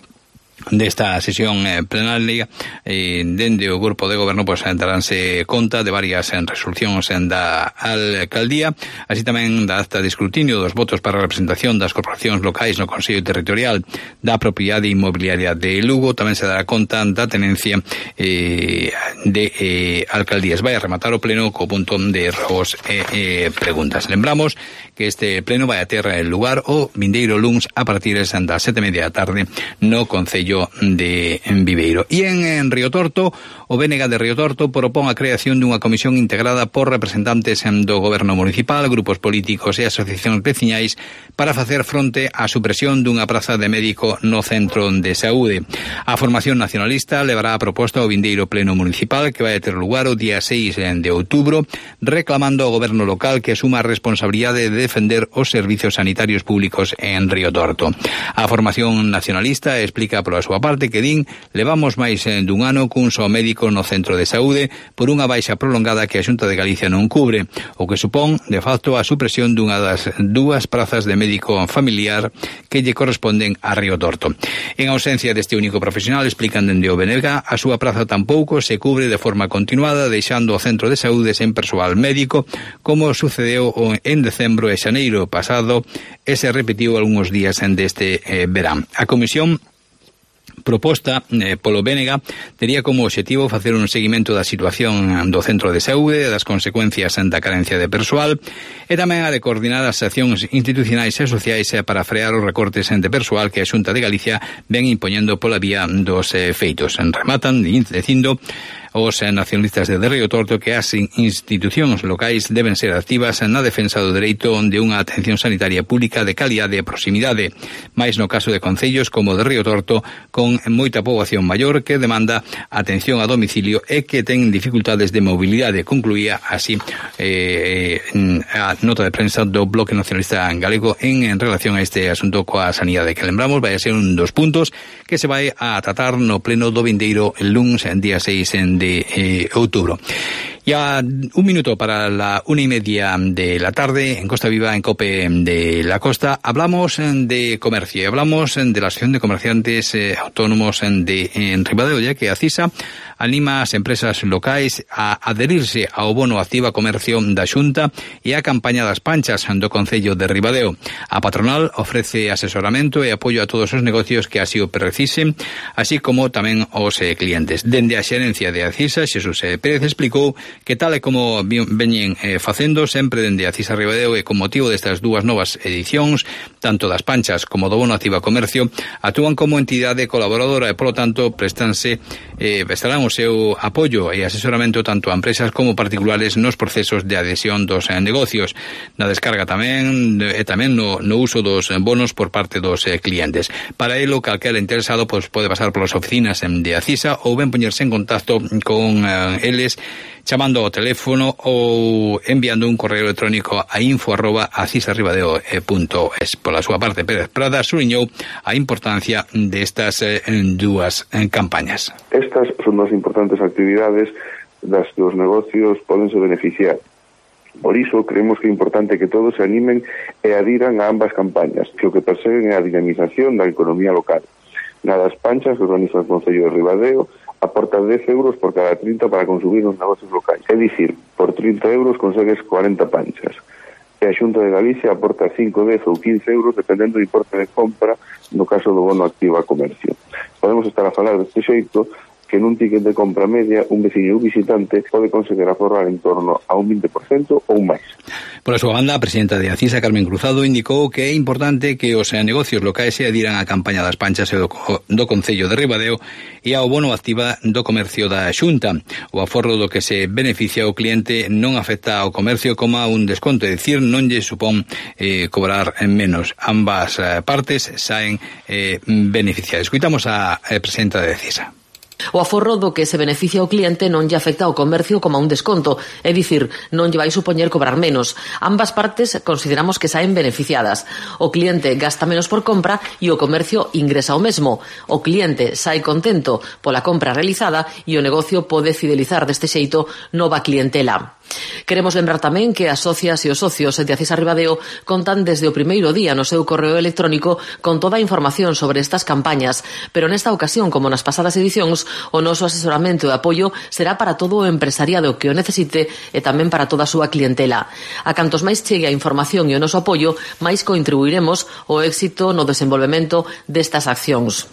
desta sesión eh, plenaria eh, dende o grupo de goberno pois daránse conta de varias en resolucións en da alcaldía, así tamén da acta de escrutinio dos votos para a representación das corporacións locais no Consello Territorial da Propiedade Inmobiliaria de Lugo. Tamén se dará conta da tenencia eh, de eh, alcaldías. Vai a rematar o pleno co punto de robos e eh, eh, preguntas. Lembramos que este pleno vai a ter lugar o vindeiro luns a partir das sete e media da tarde no Concello de Viveiro. E en, en Río Torto, o B N G de Río Torto propón a creación dunha comisión integrada por representantes do goberno municipal, grupos políticos e asociacións veciñais para facer fronte á supresión dunha praza de médico no centro de saúde. A formación nacionalista levará a proposta ao vindeiro pleno municipal que vai a ter lugar o día seis de outubro, reclamando ao goberno local que asuma a responsabilidade de defender os servizos sanitarios públicos en Río Torto. A formación nacionalista explica pola súa parte que din levamos máis dun ano cun só médico no centro de saúde por unha baixa prolongada que a Xunta de Galicia non cubre, o que supón de facto a supresión dunha das dúas prazas de médico familiar que lle corresponden a Río Torto. En ausencia deste único profesional, explican dende o B N G, a súa praza tampouco se cubre de forma continuada, deixando o centro de saúde sen persoal médico, como sucedeu en decembro e xaneiro pasado e se repetiu algúns días deste eh, verán. A comisión proposta eh, polo B N G tería como objetivo facer un seguimento da situación do centro de saúde, das consecuencias da carencia de persoal e tamén a de coordinar as accións institucionais e sociais para frear os recortes de persoal que a Xunta de Galicia ven impoñendo pola vía dos eh, feitos. Rematan dicindo os nacionalistas de Río Torto que as institucións locais deben ser activas na defensa do dereito de unha atención sanitaria pública de calidade e proximidade, máis no caso de concellos como de Río Torto con moita poboación maior que demanda atención a domicilio e que ten dificultades de mobilidade, concluía así eh, a nota de prensa do Bloque Nacionalista Galego en, en relación a este asunto coa sanidade, que lembramos vai a ser un dos puntos que se vai a tratar no pleno do vindeiro el luns en día seis de de eh, outubro. Ya un minuto para la una y media de la tarde en Costa Viva, en COPE de la Costa, hablamos de comercio y hablamos de la Asociación de Comerciantes eh, Autónomos de en Ribadeo, ya que ACISA anima as empresas locais a adherirse ao bono Activa Comercio da Xunta e a campaña das panchas do Concello de Ribadeo. A patronal ofrece asesoramento e apoio a todos os negocios que así o precisen, así como tamén os eh, clientes. Dende a xerencia de ACISA, Xesús eh, Pérez explicou que tal e como veñen eh, facendo sempre dende ACISA Ribadeo e con motivo destas dúas novas edicións, tanto das panchas como do bono Activa Comercio, actúan como entidade colaboradora e, polo tanto, prestanse, eh, estarán o seu apoio e asesoramento tanto a empresas como particulares nos procesos de adhesión dos eh, negocios, na descarga tamén e tamén no, no uso dos bonos por parte dos eh, clientes. Para elo, calquera interesado pues, pode pasar polas oficinas de ACISA ou ben poñerse en contacto con eh, eles chamando ao teléfono ou enviando un correo electrónico a info arroba acisarribadeo punto es. Pola súa parte, Pérez Prada subliñou a importancia destas eh, dúas eh, campañas. Estas son as importantes actividades das que os negocios podense beneficiar. Por iso, creemos que é importante que todos se animen e adiran a ambas campañas, que o que perseguen é a dinamización da economía local. Na das panchas que organiza o Concello de Ribadeo aporta dez euros por cada trinta para consumir nos negocios locais. É dicir, por trinta euros consegues cuarenta panchas. E a Xunta de Galicia aporta cinco, dez ou quince euros dependendo do importe de compra no caso do bono Activa Comercio. Podemos estar a falar deste xeito que nun ticket de compra media un veciño ou visitante pode conseguir aforrar en torno a un vinte por cento ou máis. Por a súa banda, a presidenta de Acisa, Carmen Cruzado, indicou que é importante que os negocios locais se adiran á campaña das panchas e do, do Concello de Ribadeo e ao bono Activa do Comercio da Xunta. O aforro do que se beneficia o cliente non afecta ao comercio como a un desconto, é dicir, non lle supón eh, cobrar menos. Ambas eh, partes saen eh, beneficiadas. Escuitamos a eh, presidenta de Acisa. O aforro do que se beneficia o cliente non lle afecta ao comercio como a un desconto, é dicir, non lle vai supoñer cobrar menos. Ambas partes consideramos que saen beneficiadas. O cliente gasta menos por compra e o comercio ingresa o mesmo. O cliente sae contento pola compra realizada e o negocio pode fidelizar deste xeito nova clientela. Queremos lembrar tamén que as socias e os socios de Acisa Ribadeo contan desde o primeiro día no seu correo electrónico con toda a información sobre estas campañas, pero nesta ocasión, como nas pasadas edicións, o noso asesoramento e apoio será para todo o empresariado que o necesite e tamén para toda a súa clientela. A cantos máis chegue a información e o noso apoio, máis contribuiremos ao éxito no desenvolvemento destas accións.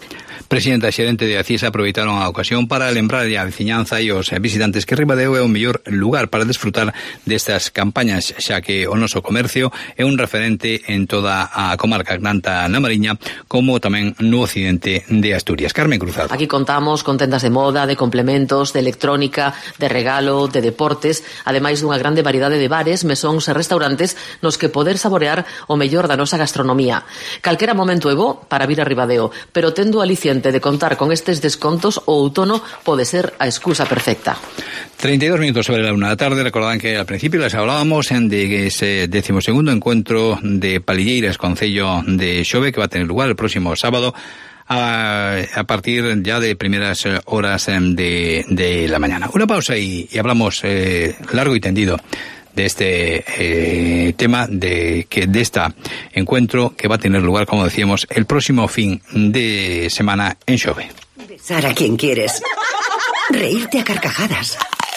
Presidenta e xerente de Acisa aproveitaron a ocasión para lembrar a veciñanza e os visitantes que Ribadeo é o mellor lugar para desfrutar destas campañas, xa que o noso comercio é un referente en toda a comarca, tanto na Mariña como tamén no occidente de Asturias. Carmen Cruzado. Aquí contamos con tendas de moda, de complementos, de electrónica, de regalo, de deportes, ademais dunha grande variedade de bares, mesóns e restaurantes nos que poder saborear o mellor da nosa gastronomía. Calquera momento é bo para vir a Ribadeo, pero tendo o aliciente de contar con estes descontos, o outono pode ser a excusa perfecta. treinta y dos minutos sobre la una de la tarde. Recordaban que al principio les hablábamos de ese decimosegundo encuentro de Palilleiras Concello de Xove, que va a tener lugar el próximo sábado a, a partir ya de primeras horas de, de la mañana. Una pausa y, y hablamos eh, largo y tendido de este eh, tema de que de este encuentro que va a tener lugar, como decíamos, el próximo fin de semana en Xove. Besar a quien quieres, reírte a carcajadas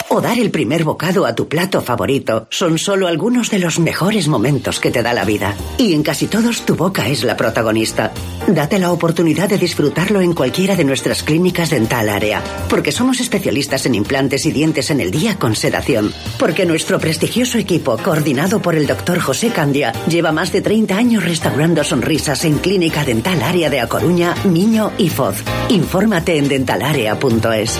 o dar el primer bocado a tu plato favorito son solo algunos de los mejores momentos que te da la vida. Y en casi todos tu boca es la protagonista. Date la oportunidad de disfrutarlo en cualquiera de nuestras clínicas Dental Área, porque somos especialistas en implantes y dientes en el día con sedación. Porque nuestro prestigioso equipo, coordinado por el doctor José Candia, lleva más de treinta años restaurando sonrisas en Clínica Dental Área de A Coruña, Miño y Foz. Infórmate en dentalarea punto es.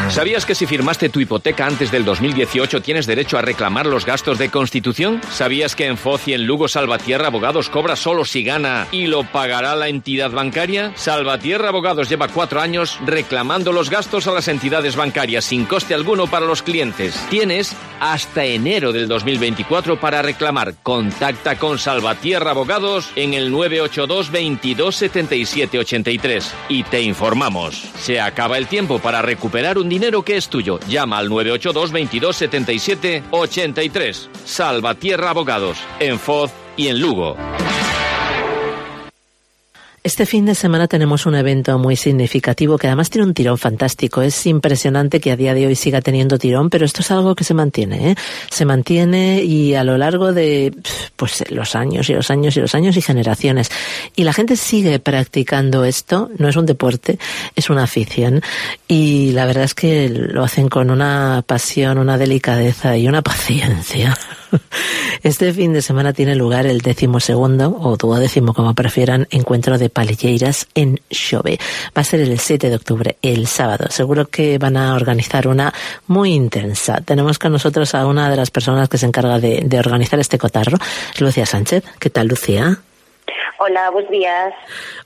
¿Sabías que si firmaste tu hipoteca antes del dos mil dieciocho tienes derecho a reclamar los gastos de constitución? ¿Sabías que en Foz y en Lugo Salvatierra Abogados cobra solo si gana y lo pagará la entidad bancaria? Salvatierra Abogados lleva cuatro años reclamando los gastos a las entidades bancarias sin coste alguno para los clientes. Tienes hasta enero del dos mil veinticuatro para reclamar. Contacta con Salvatierra Abogados en el nueve ocho dos, veintidós, setenta y siete, ochenta y tres y te informamos. Se acaba el tiempo para recuperar un dinero que es tuyo. Llama al nueve ocho dos, veintidós, setenta y siete, ochenta y tres. Salvatierra Abogados, en Foz y en Lugo. Este fin de semana tenemos un evento muy significativo que además tiene un tirón fantástico. Es impresionante que a día de hoy siga teniendo tirón, pero esto es algo que se mantiene, ¿eh? Se mantiene y a lo largo de pues los años y los años y los años y generaciones. Y la gente sigue practicando esto. No es un deporte, es una afición. Y la verdad es que lo hacen con una pasión, una delicadeza y una paciencia. Este fin de semana tiene lugar el decimosegundo, o duodécimo como prefieran, encuentro de Palilleiras en Xove. Va a ser el siete de octubre, el sábado. Seguro que van a organizar una muy intensa. Tenemos con nosotros a una de las personas que se encarga de, de organizar este cotarro, Lucía Sánchez. ¿Qué tal, Lucía? Hola, bons días.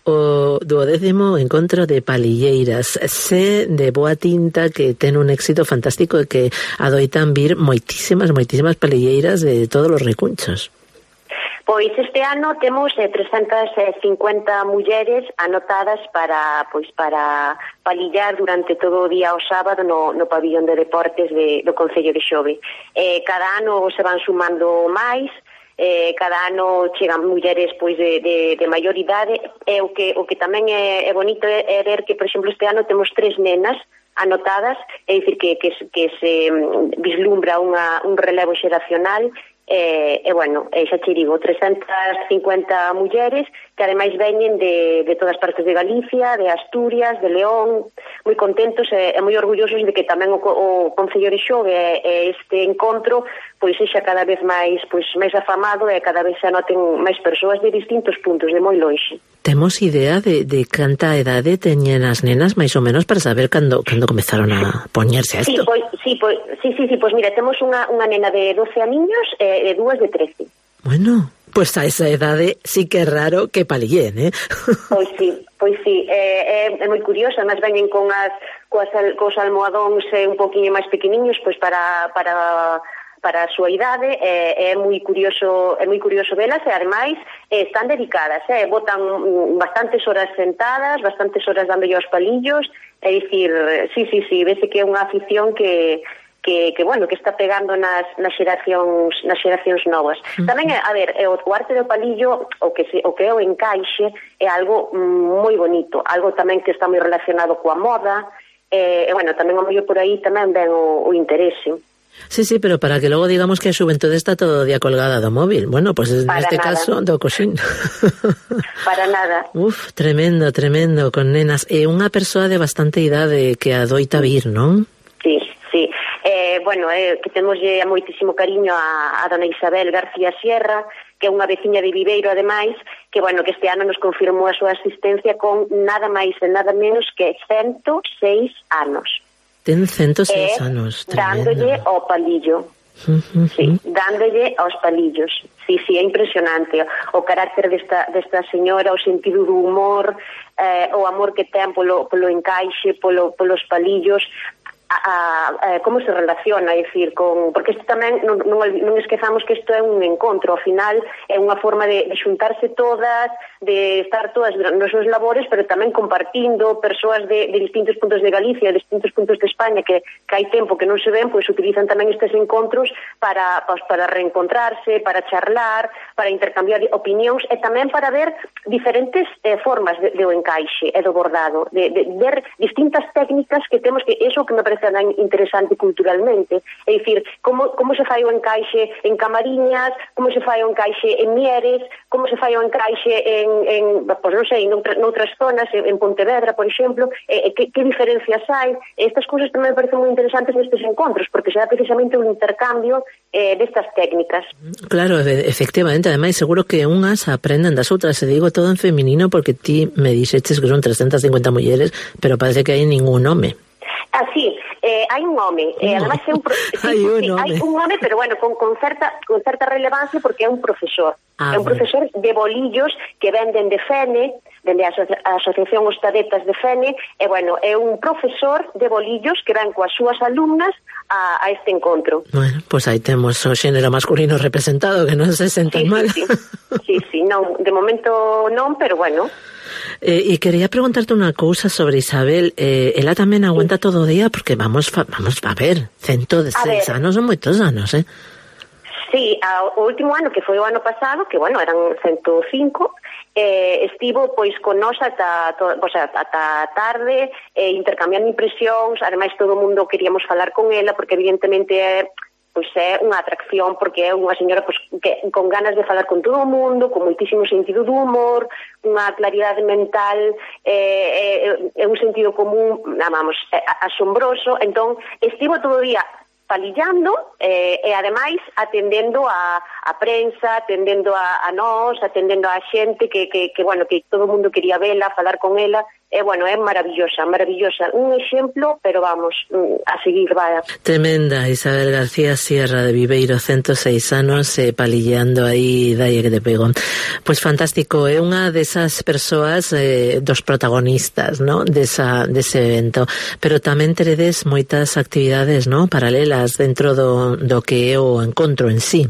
O duodécimo encontro de palilleiras. Sé de boa tinta que ten un éxito fantástico e que adoitan vir moitísimas, moitísimas palilleiras de todos os recunchos. Pois este ano temos eh, trescentas cincuenta mulleres anotadas para pois para palillar durante todo o día o sábado no, no pabillón de deportes de, do Concello de Xove. Eh, cada ano se van sumando máis, eh, cada ano chegan mulleres pois de, de, de maior idade, e o que, o que tamén é, é bonito é, é ver que, por exemplo, este ano temos tres nenas anotadas, é dicir que, que, que se vislumbra unha, un relevo xeracional. E, e bueno, e xa che digo, trescentas cincuenta mulleres que ademais veñen de, de todas partes de Galicia, de Asturias, de León, moi contentos e, e moi orgullosos de que tamén o, o Concello de Xove e, e este encontro pois sexa cada vez máis pois máis afamado e cada vez se anoten máis persoas de distintos puntos, de moi lonxe. Temos idea de, de canta edade teñen as nenas máis ou menos para saber cando, cando comezaron a poñerse a isto? Sí, pois, sí, pois, sí, sí, sí, pois mira, temos unha, unha nena de doce aniños e de dúas de trece. Bueno, pois a esa edade sí que é raro que palillen, eh? Pois sí, pois sí, é, é, é moi curioso, además veñen con as, coas, cos almohadóns eh, un poquinho máis pequeniños pois para... para para a súa idade, é, é moi curioso, é moi curioso velas e ademais eh, están dedicadas, eh, botan bastantes horas sentadas, bastantes horas dándolle aos palillos, é dicir, sí, sí, sí, vese que é unha afición que que, que bueno, que está pegando nas, nas xeracións nas xeracións novas. Uh-huh. Tamén, a ver, o, o arte do palillo, o que se, o que é o encaixe, é algo moi bonito, algo tamén que está moi relacionado coa moda, e, e bueno, tamén o mellor por aí tamén ven o, o interese. Sí, sí, pero para que logo digamos que a xuventude está todo o día colgada do móvil. Bueno, pois pues neste caso do coxín. Para nada. Uf, tremendo, tremendo, con nenas. E unha persoa de bastante idade que adoita vir, non? Sí, sí. Eh, bueno, eh, que temos a moitísimo cariño a, a dona Isabel García Sierra, que é unha veciña de Viveiro, ademais, que, bueno, que este ano nos confirmou a súa asistencia con nada máis e nada menos que ciento seis anos. Ten ciento seis eh, anos. Tremendo. Dándolle ao palillo. Uh-huh. Sí, dándolle aos palillos. Sí, sí, é impresionante. O carácter desta, desta señora, o sentido do humor, eh, o amor que ten polo, polo encaixe, polo, polos palillos, a, a, a, como se relaciona, é dicir, con, porque isto tamén non, non, non esquezamos que isto é un encontro, ao final é unha forma de, de xuntarse todas, de estar todas nos seus labores, pero tamén compartindo persoas de, de distintos puntos de Galicia, de distintos puntos de España que, que hai tempo que non se ven, pois utilizan tamén estes encontros para, pues, para reencontrarse, para charlar, para intercambiar opinións e tamén para ver diferentes eh, formas de, de o encaixe e do bordado, de, de ver distintas técnicas que temos, que eso que me parece tan interesante culturalmente, é dicir, como, como se fai o encaixe en Camariñas, como se fai o encaixe en Mieres, como se fai o encaixe en, en pues non sei, noutra, noutras zonas, en Pontevedra, por exemplo, eh, que, que diferencias hai. Estas cousas tamén me parecen moi interesantes nestes encontros, porque se dá precisamente un intercambio eh, destas técnicas. Claro, efectivamente, ademais seguro que unhas aprenden das outras, se digo todo en feminino porque ti me dixeches que son trescentas cincuenta mulleres, pero parece que hai ningún home. Ah, sí, eh, hai un home, eh, además é un pro... sí, hai, un sí, home. hai un home, pero bueno, con, con, certa, con certa relevancia porque é un profesor. Ah, é un bueno. profesor de bolillos que venden de Fene, dende a, aso- a Asociación Ostadetas de Fene, e bueno, é un profesor de bolillos que ven coas súas alumnas a, a este encontro. Bueno, pois pues aí temos o xénero masculino representado, que non se sentan sí, mal. Sí, sí, sí, sí, non, de momento non, pero bueno. Eh, e quería preguntarte unha cousa sobre Isabel. Eh, ela tamén aguanta sí. todo o día, porque vamos fa, vamos a ver, ciento seis anos son moitos anos, eh? Sí, a, o último ano, que foi o ano pasado, que, bueno, eran ciento cinco, eh, estivo, pois, con nós ata, to, o sea, ata tarde, eh, intercambiando impresións, ademais todo o mundo queríamos falar con ela, porque evidentemente é... pois é unha atracción, porque é unha señora pois, que, con ganas de falar con todo o mundo, con moitísimo sentido do humor, unha claridade mental, eh, eh, un sentido común, vamos, eh, asombroso. Entón, estivo todo o día palillando eh, e ademais atendendo a, a prensa, atendendo a, a nós, atendendo a xente que, que, que, bueno, que todo o mundo quería vela, falar con ela. E, bueno, é maravillosa, maravillosa. Un exemplo, pero vamos, a seguir, vaya. Tremenda, Isabel García Sierra de Viveiro, ciento seis anos, eh, palilleando aí, dalle que te pego. Pois fantástico, é unha desas persoas, eh, dos protagonistas, ¿no?, desa, dese evento. Pero tamén teredes moitas actividades, ¿no?, paralelas dentro do, do que é o encontro en sí.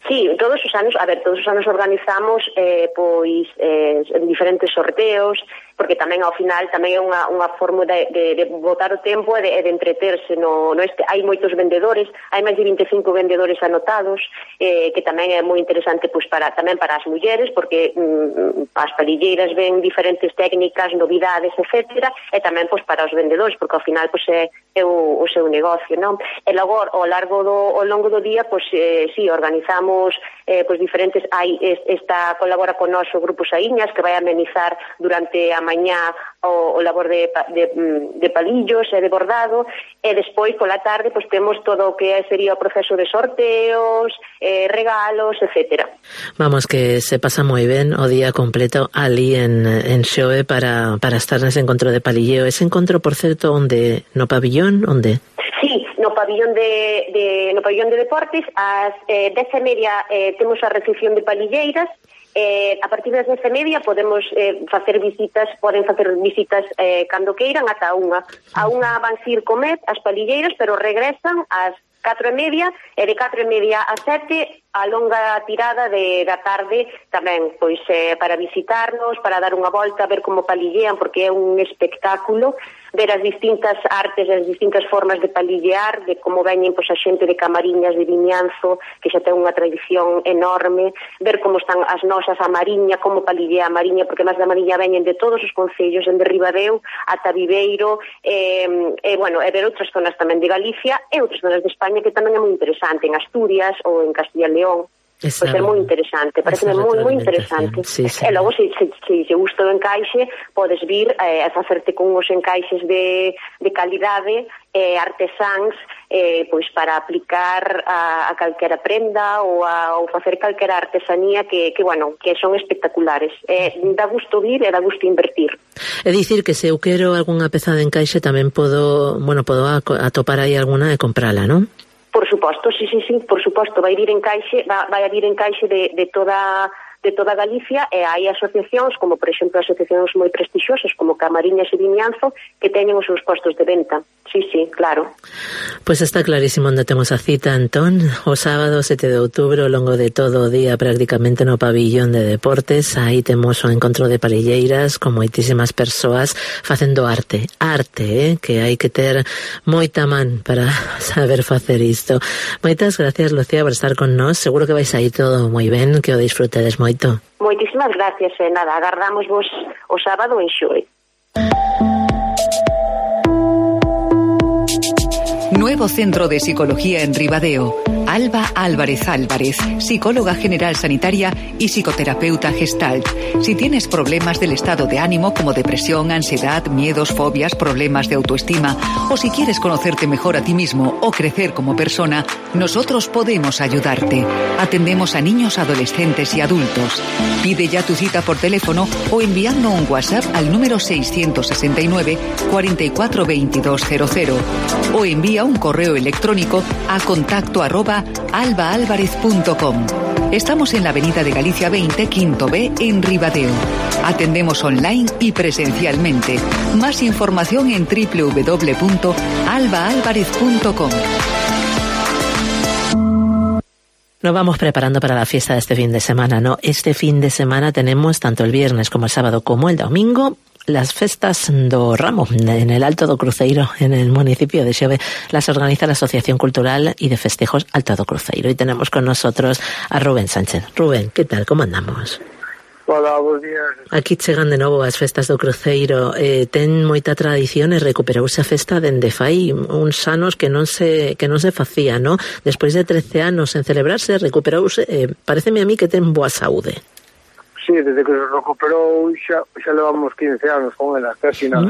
Sí, todos os anos, a ver, todos os anos organizamos eh, pois eh, diferentes sorteos, porque tamén ao final tamén é unha, unha forma de, de, de botar o tempo e de, de entreterse no, no este. Hai moitos vendedores, hai máis de vinte e cinco vendedores anotados, eh, que tamén é moi interesante pois para tamén para as mulleres, porque mm, as palilleiras ven diferentes técnicas, novidades, etcétera, e tamén pois para os vendedores, porque ao final pois é, é o, o seu negocio, non? E logo ao largo do ao longo do día pois eh, si organizamos eh, pois diferentes, hai esta colabora con nós o Grupo Saíñas, que vai amenizar durante a mañá o, o labor de, de, de palillos e de bordado, e despois pola tarde pois temos todo o que sería o proceso de sorteos, eh, regalos, etcétera. Vamos, que se pasa moi ben o día completo ali en, en Xove para, para estar nese encontro de palilleo. Ese encontro, por certo, onde? No pabillón, onde? Sí, no pabillón de, de no pabillón de deportes, ás eh, dez e media eh, temos a recepción de palilleiras. Eh, a partir das dez e media podemos eh, facer visitas, poden facer visitas eh, cando queiran ata a unha. A unha van ir comer as palilleiras, pero regresan ás catro e media, e de catro e media a sete a longa tirada de, da tarde tamén, pois eh, para visitarnos, para dar unha volta, ver como palillean, porque é un espectáculo, ver as distintas artes, as distintas formas de palillear, de como veñen pois, a xente de Camariñas, de Vimianzo, que xa ten unha tradición enorme, ver como están as nosas a Mariña, como palillea a Mariña, porque máis da Mariña veñen de todos os concellos, en de Ribadeo ata Viveiro, e, e, bueno, e ver outras zonas tamén de Galicia e outras zonas de España, que tamén é moi interesante, en Asturias ou en Castilla e León. Esa, pois é moi interesante, parece moi moi interesante. Sí, sí. E logo, se, se, se, se gusta o encaixe, podes vir eh, a facerte con uns encaixes de, de calidade, eh, artesáns, eh, pois para aplicar a, a calquera prenda ou, a, ou facer calquera artesanía que, que, bueno, que son espectaculares. Eh, dá gusto vir e dá gusto invertir. É dicir que se eu quero algunha peza de encaixe tamén podo, bueno, podo atopar aí alguna e comprala, non? Por suposto, sí, sí, sí, por suposto, vai vir encaixe, vai a vir encaixe de, de toda de toda Galicia, e hai asociacións, como por exemplo asociacións moi prestixiosas como Camariñas e Vimianzo, que teñen os seus postos de venta. Sí, sí, claro. Pois está clarísimo onde temos a cita, Antón, o sábado sete de outubro, ao longo de todo o día prácticamente no pabillón de deportes. Aí temos o encontro de palilleiras con moitísimas persoas facendo arte, arte, eh? que hai que ter moita man para saber facer isto. Moitas gracias, Lucía, por estar con nós. Seguro que vais aí todo moi ben, que o disfrutedes moito. Moitísimas gracias, e nada, agardamos vos o sábado en Xove. Nuevo centro de psicología en Ribadeo. Alba Álvarez Álvarez, psicóloga general sanitaria y psicoterapeuta Gestalt. Si tienes problemas del estado de ánimo como depresión, ansiedad, miedos, fobias, problemas de autoestima, o si quieres conocerte mejor a ti mismo o crecer como persona, nosotros podemos ayudarte. Atendemos a niños, adolescentes y adultos. Pide ya tu cita por teléfono o enviando un WhatsApp al número seiscientos sesenta y nueve, cuarenta y cuatro, veintidós cero cero o envía un correo electrónico a contacto arroba albaalvarez punto com. Estamos en la avenida de Galicia veinte, quinto B, en Ribadeo. Atendemos online y presencialmente. Más información en doble u doble u doble u punto albaalvarez punto com. Nos vamos preparando para la fiesta de este fin de semana, ¿no? Este fin de semana tenemos tanto el viernes como el sábado como el domingo las festas do Ramo en el Alto do Cruceiro, en el municipio de Xove. Las organiza la Asociación Cultural y de Festejos Alto do Cruceiro. Y tenemos con nosotros a Rubén Sánchez. Rubén, ¿qué tal? ¿Cómo andamos? Hola, bons días. Aquí chegan de novo as festas do Cruceiro. Eh, ten moita tradición e recuperouse a festa dende fai uns anos que non se que non se facía, ¿no? Despois de trece anos en celebrarse, recuperouse, eh, pareceme a mí que ten boa saúde. Sí, desde que se recuperou xa, xa levamos quince anos con ela, casi nada.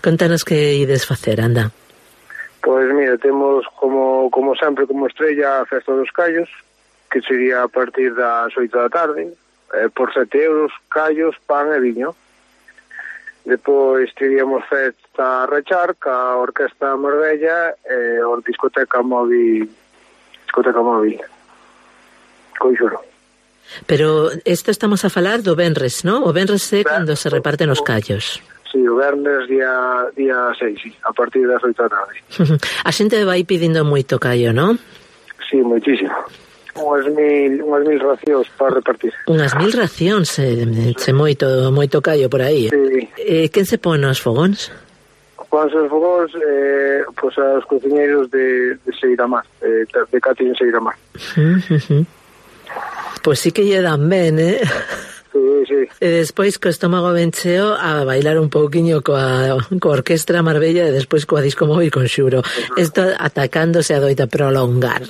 Contanos que ides facer, anda. Pois Pois mira, temos como como sempre como estrella a Festa dos Callos, que sería a partir das oito da tarde, eh, por sete euros, callos, pan e viño. Depois teríamos Festa Rechar, ca Orquesta Marbella e a discoteca móvil, discoteca móvil, Conxuro. Pero isto estamos a falar do venres, non? O venres é cando se reparten os callos. Sí, o vernes día día seis, sí, a partir das oito da tarde. A xente vai pedindo moito callo, non? Sí, moitísimo. Unhas mil, unhas mil racións para repartir. Unhas mil racións, se, se moito moito callo por aí. Sí. Eh, quen se pon nos fogóns? Pon os fogóns, eh, pois os cociñeiros de, de Seiramar, eh, de Cati en Seiramar. Uh -huh. Pois sí que lle dan ben, eh? Sí, sí. E despois co estómago ben cheo a bailar un pouquiño coa, coa Orquestra Marbella e despois coa Disco Móvil Conxuro. Isto atacándose a doita prolongar.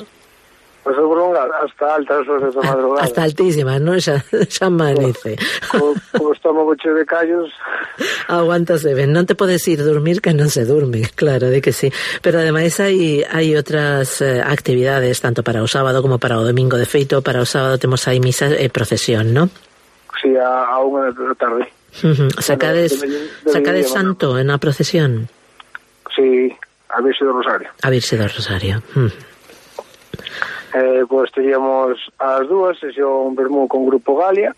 Pois a prolongar hasta altas horas da madrugada. Hasta altísimas, non? Xa, xa amanece. Co, co estómago cheo de callos. Aguántase ben. Non te podes ir dormir que non se durme, claro, de que sí. Pero ademais hai, hai outras eh, actividades, tanto para o sábado como para o domingo. De feito, para o sábado temos aí misa e procesión, non? Sí, a, a unha da tarde. Uh -huh. Sacades, de, de, de, sacades de santo en a procesión? Sí, a Virxe do Rosario. A Virxe do Rosario. Uh -huh. Eh, pois teríamos as dúas, sesión vermú con Grupo Galia,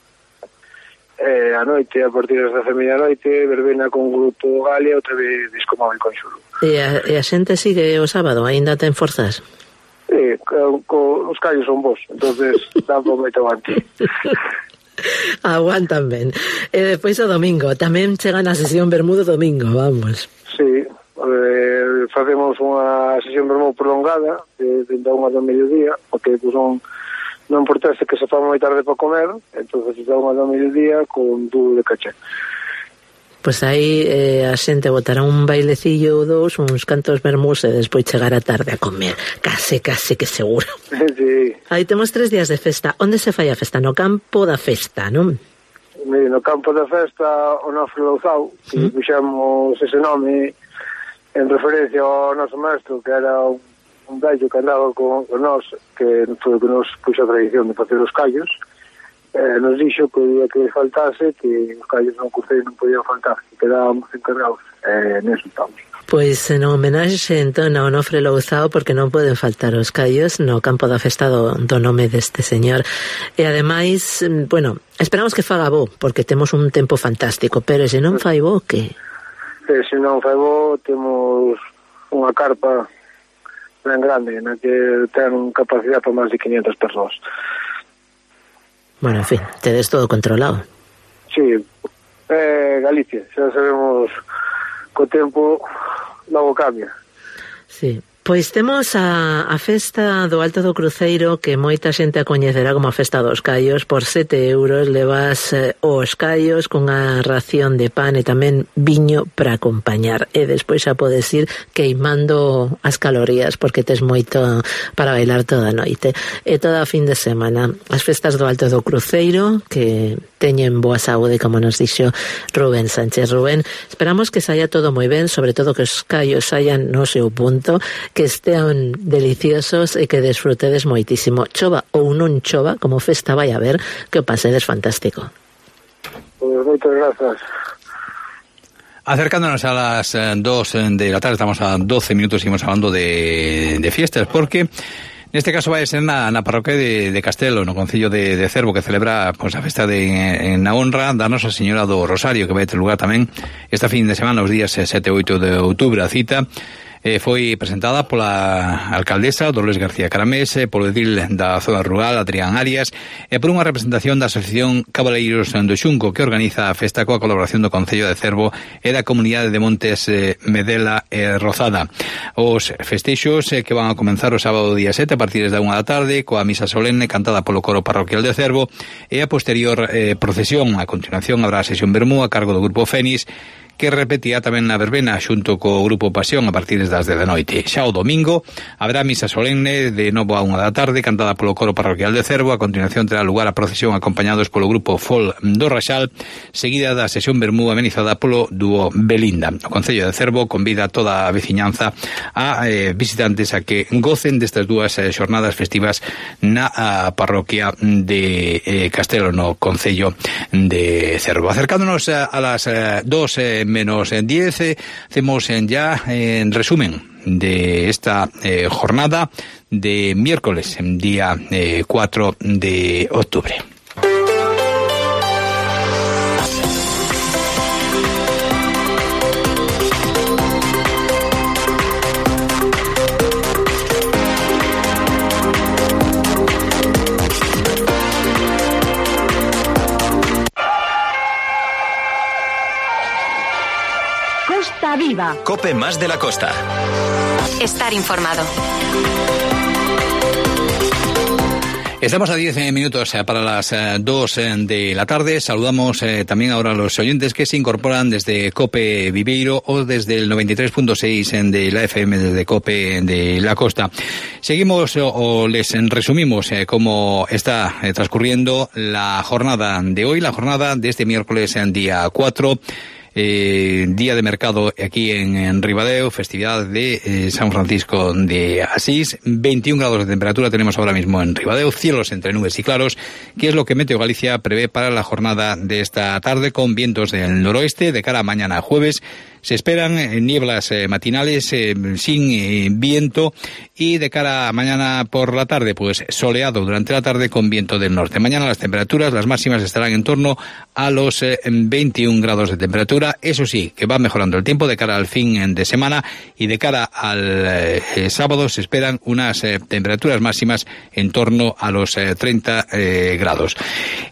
eh, a noite, a partir das dez e media noite, verbena con Grupo Galia, outra vez Disco Móvil Conxuro. E a, e a xente sigue o sábado, aínda ten forzas? Sí, co, co, os callos son vos, entonces dá un moito avante. Aguantan ben. E despois o domingo, tamén chegan a sesión Bermudo domingo, vamos. Sí, eh, facemos unha sesión Bermudo prolongada de, de unha do mediodía, porque pues, non, non importase que se fa moi tarde para comer, entonces da unha do mediodía con dúo de caché. Pois aí eh, a xente botará un bailecillo ou dous, uns cantos vermús e despois chegar a tarde a comer. Case, case que seguro. Sí. Aí temos tres días de festa. Onde se fai a festa? No campo da festa, non? Mire, no campo da festa, o Nofre Louzao, que ¿Mm? puxemos ese nome en referencia ao noso maestro, que era un, un vello que andaba con, con nós, que foi o que nos puxo a tradición de facer os callos. Eh, nos dixo que o día que faltase que os callos non curtei non podían faltar, que quedábamos encargados, eh, neso estamos. Pois en homenaxe entón a Onofre Louzao, porque non poden faltar os callos no campo da festa do, do nome deste señor. E ademais, bueno, esperamos que faga bo, porque temos un tempo fantástico, pero se non fai bo, que? Eh, se non fai bo, temos unha carpa ben grande, na que ten capacidade para máis de quinientas persoas. Bueno, en fin, tedes todo controlado. Sí, eh, Galicia, xa sabemos co tempo logo cambia. Sí. Pois temos a, a festa do Alto do Cruceiro, que moita xente a coñecerá como a festa dos callos. Por sete euros levas eh, os callos con a ración de pan e tamén viño para acompañar. E despois xa podes ir queimando as calorías, porque tes moito para bailar toda a noite. E toda a fin de semana. As festas do Alto do Cruceiro, que teñen boa saúde, como nos dixo Rubén Sánchez. Rubén, esperamos que saia todo moi ben, sobre todo que os callos saian no seu punto, que estean deliciosos e que desfrutedes moitísimo. Chova ou non chova, como festa vai a ver, que o pasedes fantástico. Pues moitas grazas. Acercándonos a las dos de la tarde, estamos a doce minutos, seguimos hablando de, de fiestas, porque neste caso vai ser na, na parroquia de, de Castelo, no concello de, de Cervo, que celebra pues, a festa de, en, na honra da Nosa Señora do Rosario, que vai ter lugar tamén esta fin de semana, os días sete e oito de outubro. A cita eh, foi presentada pola alcaldesa Dolores García Caramés, eh, polo edil da zona rural Adrián Arias e por unha representación da Asociación Cabaleiros do Xunco, que organiza a festa coa colaboración do Concello de Cervo e da Comunidade de Montes eh, Medela e Rozada. Os festeixos eh, que van a comenzar o sábado día sete a partir da unha da tarde coa misa solene cantada polo coro parroquial de Cervo e a posterior eh, procesión. A continuación habrá a sesión vermú a cargo do Grupo Fénix, que repetirá tamén na verbena xunto co Grupo Pasión a partir das dez da noite. Xa o domingo haberá misa solemne de novo a unha da tarde, cantada polo coro parroquial de Cervo. A continuación terá lugar a procesión acompañados polo Grupo Fol do Raxal, seguida da sesión vermú amenizada polo dúo Belinda. O Concello de Cervo convida a toda a veciñanza a eh, visitantes a que gocen destas dúas eh, xornadas festivas na a, parroquia de eh, Castelo, no Concello de Cervo. Acercándonos a, a las eh, dos eh, menos diez, eh, hacemos eh, ya en eh, resumen de esta eh, jornada de miércoles, día eh, cuatro de octubre. Costa Viva. Cope más de la costa. Estar informado. Estamos a diez minutos para las dos de la tarde. Saludamos eh, también ahora a los oyentes que se incorporan desde Cope Viveiro o desde el noventa y tres punto seis de la F M, desde Cope de la Costa. Seguimos o, o les resumimos eh, cómo está eh, transcurriendo la jornada de hoy, la jornada de este miércoles en día cuatro. Eh, día de mercado aquí en, en Ribadeo, festividad de eh, San Francisco de Asís. veintiún grados de temperatura tenemos ahora mismo en Ribadeo, cielos entre nubes y claros, que es lo que Meteo Galicia prevé para la jornada de esta tarde, con vientos del noroeste. De cara a mañana jueves se esperan eh, nieblas eh, matinales eh, sin eh, viento, y de cara a mañana por la tarde, pues soleado durante la tarde con viento del norte. Mañana las temperaturas, las máximas, estarán en torno a los eh, veintiún grados de temperatura. Eso sí, que va mejorando el tiempo de cara al fin de semana, y de cara al eh, sábado se esperan unas eh, temperaturas máximas en torno a los eh, treinta eh, grados.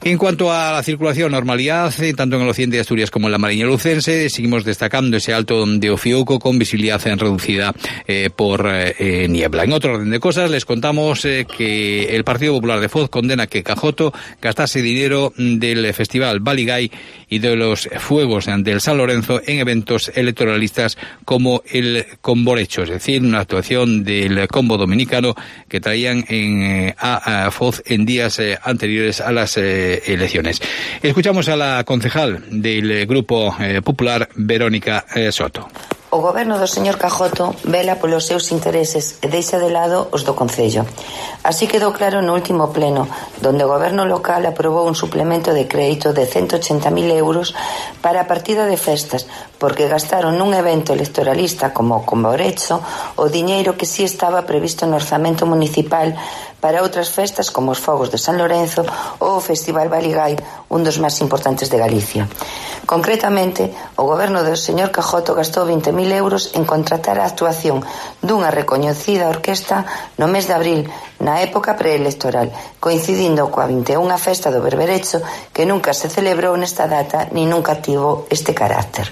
En cuanto a la circulación, normalidad, eh, tanto en el occidente de Asturias como en la Mariña Lucense. Seguimos destacando ese alto de Ofiuco con visibilidad reducida eh, por eh, niebla. En otro orden de cosas, les contamos eh, que el Partido Popular de Foz condena que Cajoto gastase dinero del Festival Baligay y de los fuegos del San Lorenzo en eventos electoralistas como el Comborecho, es decir, una actuación del combo dominicano que traían en, eh, a, a Foz en días eh, anteriores a las eh, elecciones. Escuchamos a la concejal del Grupo eh, Popular, Verónica eh, Soto. O goberno do señor Cajoto vela polos seus intereses e deixa de lado os do Concello. Así quedou claro no último pleno, donde o goberno local aprobou un suplemento de crédito de ciento ochenta mil euros para a partida de festas, porque gastaron nun evento electoralista como o Comborecho o diñeiro que si estaba previsto no orzamento municipal para outras festas como os Fogos de San Lorenzo ou o Festival Baligay, un dos máis importantes de Galicia. Concretamente, o goberno do señor Cajoto gastou vinte mil euros en contratar a actuación dunha recoñecida orquesta no mes de abril, na época preelectoral, coincidindo coa vinte e unha festa do Berberecho, que nunca se celebrou nesta data ni nunca tivo este carácter.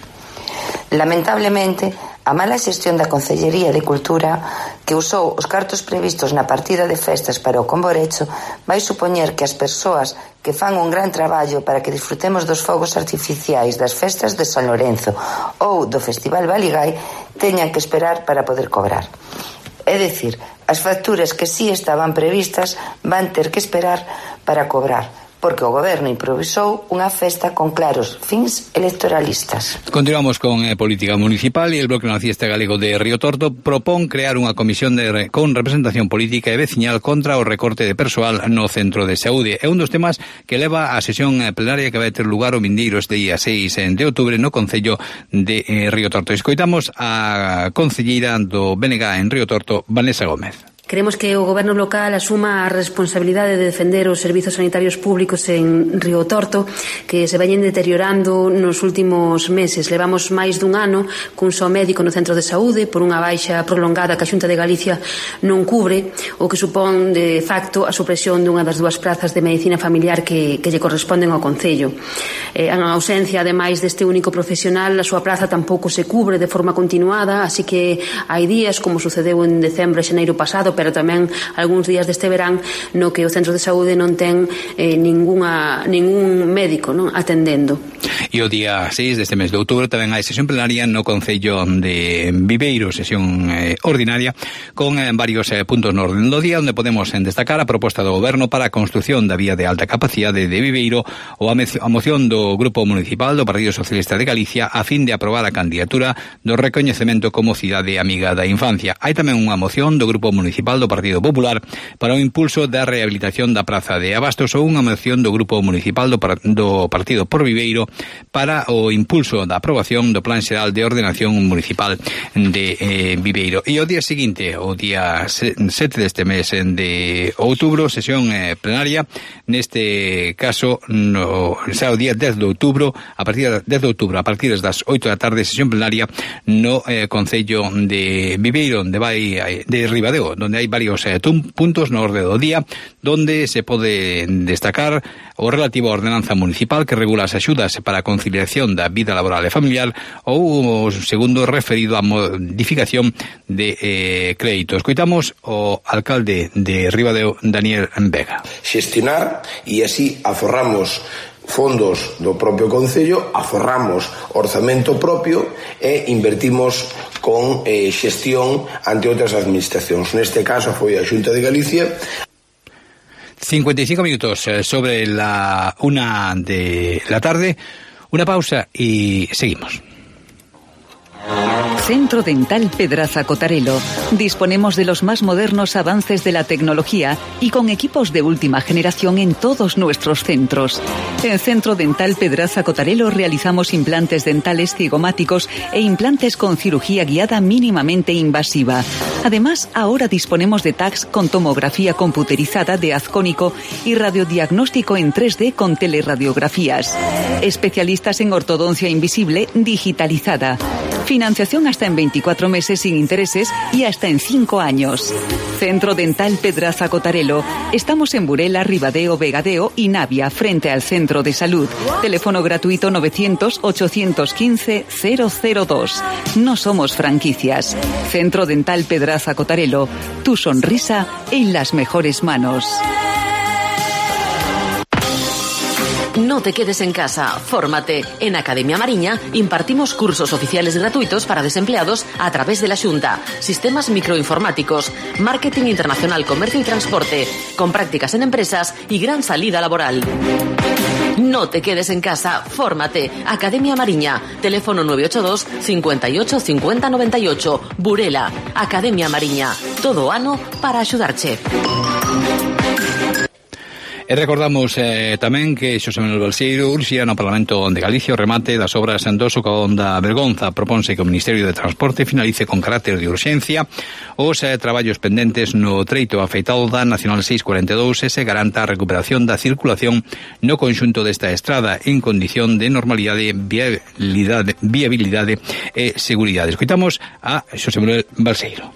Lamentablemente, a mala xestión da Concellería de Cultura, que usou os cartos previstos na partida de festas para o Comborecho, vai supoñer que as persoas que fan un gran traballo para que disfrutemos dos fogos artificiais das festas de San Lorenzo ou do Festival Baligay teñan que esperar para poder cobrar. É dicir, as facturas que si estaban previstas van ter que esperar para cobrar, porque o goberno improvisou unha festa con claros fins electoralistas. Continuamos con eh, política municipal, e el Bloque Nacionalista Galego de Río Torto propón crear unha comisión de re, con representación política e veciñal contra o recorte de persoal no centro de saúde. É un dos temas que leva a sesión plenaria que vai ter lugar o vindeiro este día seis de outubro no Concello de eh, Río Torto. Escoitamos a concelleira do B N G en Río Torto, Vanessa Gómez. Queremos que o goberno local asuma a responsabilidade de defender os servizos sanitarios públicos en Río Torto, que se veñen deteriorando nos últimos meses. Levamos máis dun ano cun só médico no centro de saúde por unha baixa prolongada que a Xunta de Galicia non cubre, o que supón de facto a supresión dunha das dúas prazas de medicina familiar que, que lle corresponden ao Concello. Eh, en ausencia, ademais deste único profesional, a súa praza tampouco se cubre de forma continuada, así que hai días, como sucedeu en decembro e xaneiro pasado, pero tamén algúns días deste verán no que o centro de saúde non ten eh, ninguna, ningún médico, non, atendendo. E o día seis deste mes de outubro tamén hai sesión plenaria no Concello de Viveiro, sesión eh, ordinaria con eh, varios eh, puntos no orden do día, onde podemos eh, destacar a proposta do Goberno para a construción da vía de alta capacidade de Viveiro ou a, a moción do Grupo Municipal do Partido Socialista de Galicia a fin de aprobar a candidatura do recoñecemento como cidade amiga da infancia. Hai tamén unha moción do Grupo Municipal do Partido Popular para o impulso da rehabilitación da Praza de Abastos ou unha moción do Grupo Municipal do, par do Partido por Viveiro para o impulso da aprobación do Plan Xeral de Ordenación Municipal de eh, Viveiro. E o día seguinte, o día sete deste mes de outubro, sesión eh, plenaria, neste caso no, xa o día dez de outubro, a partir de dez de outubro, a partir das oito da tarde, sesión plenaria no eh, Concello de Viveiro, onde vai de Ribadeo, onde hai varios eh, puntos no orde do día, donde se pode destacar o relativo á ordenanza municipal que regula as axudas para a conciliación da vida laboral e familiar ou o segundo referido á modificación de eh, créditos. Escoitamos o alcalde de Ribadeo, Daniel Vega. Xestionar e así aforramos fondos do propio Concello, aforramos orzamento propio e invertimos con eh, xestión ante outras administracións. Neste caso foi a Xunta de Galicia. cincuenta y cinco minutos sobre la una de la tarde. Una pausa y seguimos. Centro Dental Pedraza Cotarelo. Disponemos de los más modernos avances de la tecnología y con equipos de última generación en todos nuestros centros. En Centro Dental Pedraza Cotarelo realizamos implantes dentales cigomáticos e implantes con cirugía guiada mínimamente invasiva. Además, ahora disponemos de tags con tomografía computerizada de haz cónico y radiodiagnóstico en tres D con teleradiografías. Especialistas en ortodoncia invisible digitalizada. Financiación hasta en veinticuatro meses sin intereses y hasta en cinco años. Centro Dental Pedraza Cotarelo. Estamos en Burela, Ribadeo, Vegadeo y Navia, frente al Centro de Salud. Teléfono gratuito novecientos, ochocientos quince, cero cero dos. No somos franquicias. Centro Dental Pedraza Cotarelo. Tu sonrisa en las mejores manos. No te quedes en casa, fórmate. En Academia Mariña impartimos cursos oficiales gratuitos para desempleados a través de la Xunta, sistemas microinformáticos, marketing internacional, comercio y transporte, con prácticas en empresas y gran salida laboral. No te quedes en casa, fórmate. Academia Mariña, teléfono nueve ocho dos, cincuenta y ocho, cincuenta, noventa y ocho, Burela. Academia Mariña, todo ano para axudarche. E recordamos eh, tamén que Xosé Manuel Balseiro urxía no Parlamento de Galicia o remate das obras do socavón da Bergonza. Proponse que o Ministerio de Transporte finalice con carácter de urxencia os eh, traballos pendentes no treito afeitado da Nacional seiscentos cuarenta e dous e se garanta a recuperación da circulación no conxunto desta estrada en condición de normalidade, viabilidade, viabilidade e seguridade. Escoitamos a Xosé Manuel Balseiro.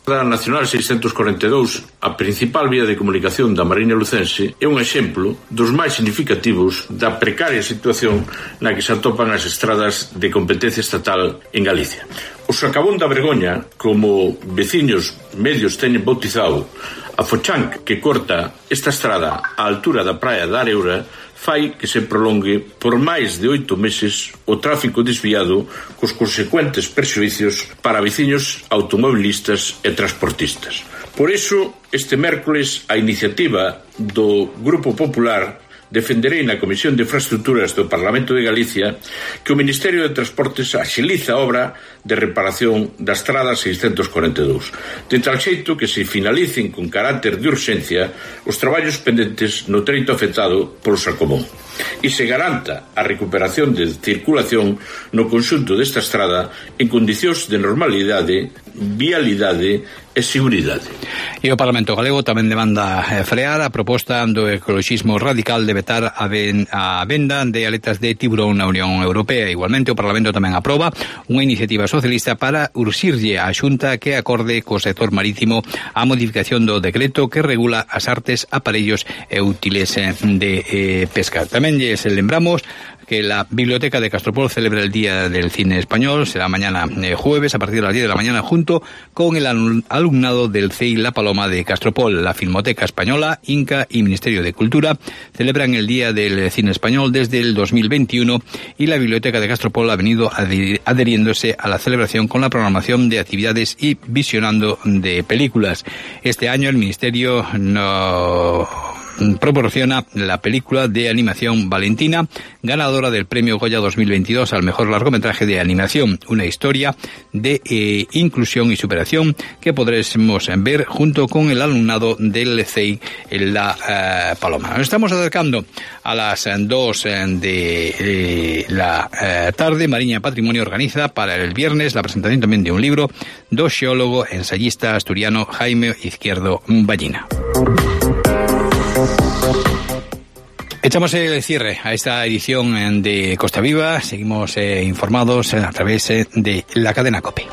A Nacional seiscentos cuarenta e dous, a principal vía de comunicación da Mariña Lucense, é un exemplo dos máis significativos da precaria situación na que se atopan as estradas de competencia estatal en Galicia. O socavón da Vergoña, como veciños medios teñen bautizado, a fochanca que corta esta estrada á altura da praia da Areura, fai que se prolongue por máis de oito meses o tráfico desviado cos consecuentes perxuízos para veciños automobilistas e transportistas. Por iso, este mércoles, a iniciativa do Grupo Popular defenderei na Comisión de Infraestructuras do Parlamento de Galicia que o Ministerio de Transportes axiliza a obra de reparación da estrada seiscentos cuarenta e dous, de tal xeito que se finalicen con carácter de urxencia os traballos pendentes no treito afectado polo socavón e se garanta a recuperación de circulación no conxunto desta estrada en condicións de normalidade, vialidade e seguridade. E o Parlamento Galego tamén demanda frear a proposta do ecoloxismo radical de vetar a, ben, a venda de aletas de tiburón na Unión Europea. Igualmente, o Parlamento tamén aproba unha iniciativa socialista para urxirlle á Xunta que acorde co sector marítimo a modificación do decreto que regula as artes, aparellos e útiles de eh, pesca. Tamén Tamén lles lembramos que la Biblioteca de Castropol celebra el Día del Cine Español. Será mañana eh, jueves a partir de las diez de la mañana junto con el alumnado del C I La Paloma de Castropol. La Filmoteca Española, Inca y Ministerio de Cultura celebran el Día del Cine Español desde el dos mil veintiuno y la Biblioteca de Castropol ha venido adheriéndose a la celebración con la programación de actividades y visionando de películas. Este año el Ministerio no proporciona la película de animación Valentina, ganadora del Premio Goya dos mil veintidós al mejor largometraje de animación, una historia de eh, inclusión y superación que podremos ver junto con el alumnado del C I en La eh, Paloma. Nos estamos acercando a las dos de eh, la eh, tarde. Mariña Patrimonio organiza para el viernes la presentación también de un libro do xeólogo ensayista asturiano Jaime Izquierdo Ballina. Echamos el cierre a esta edición de Costa Viva. Seguimos eh, informados a través eh, de la cadena COPE.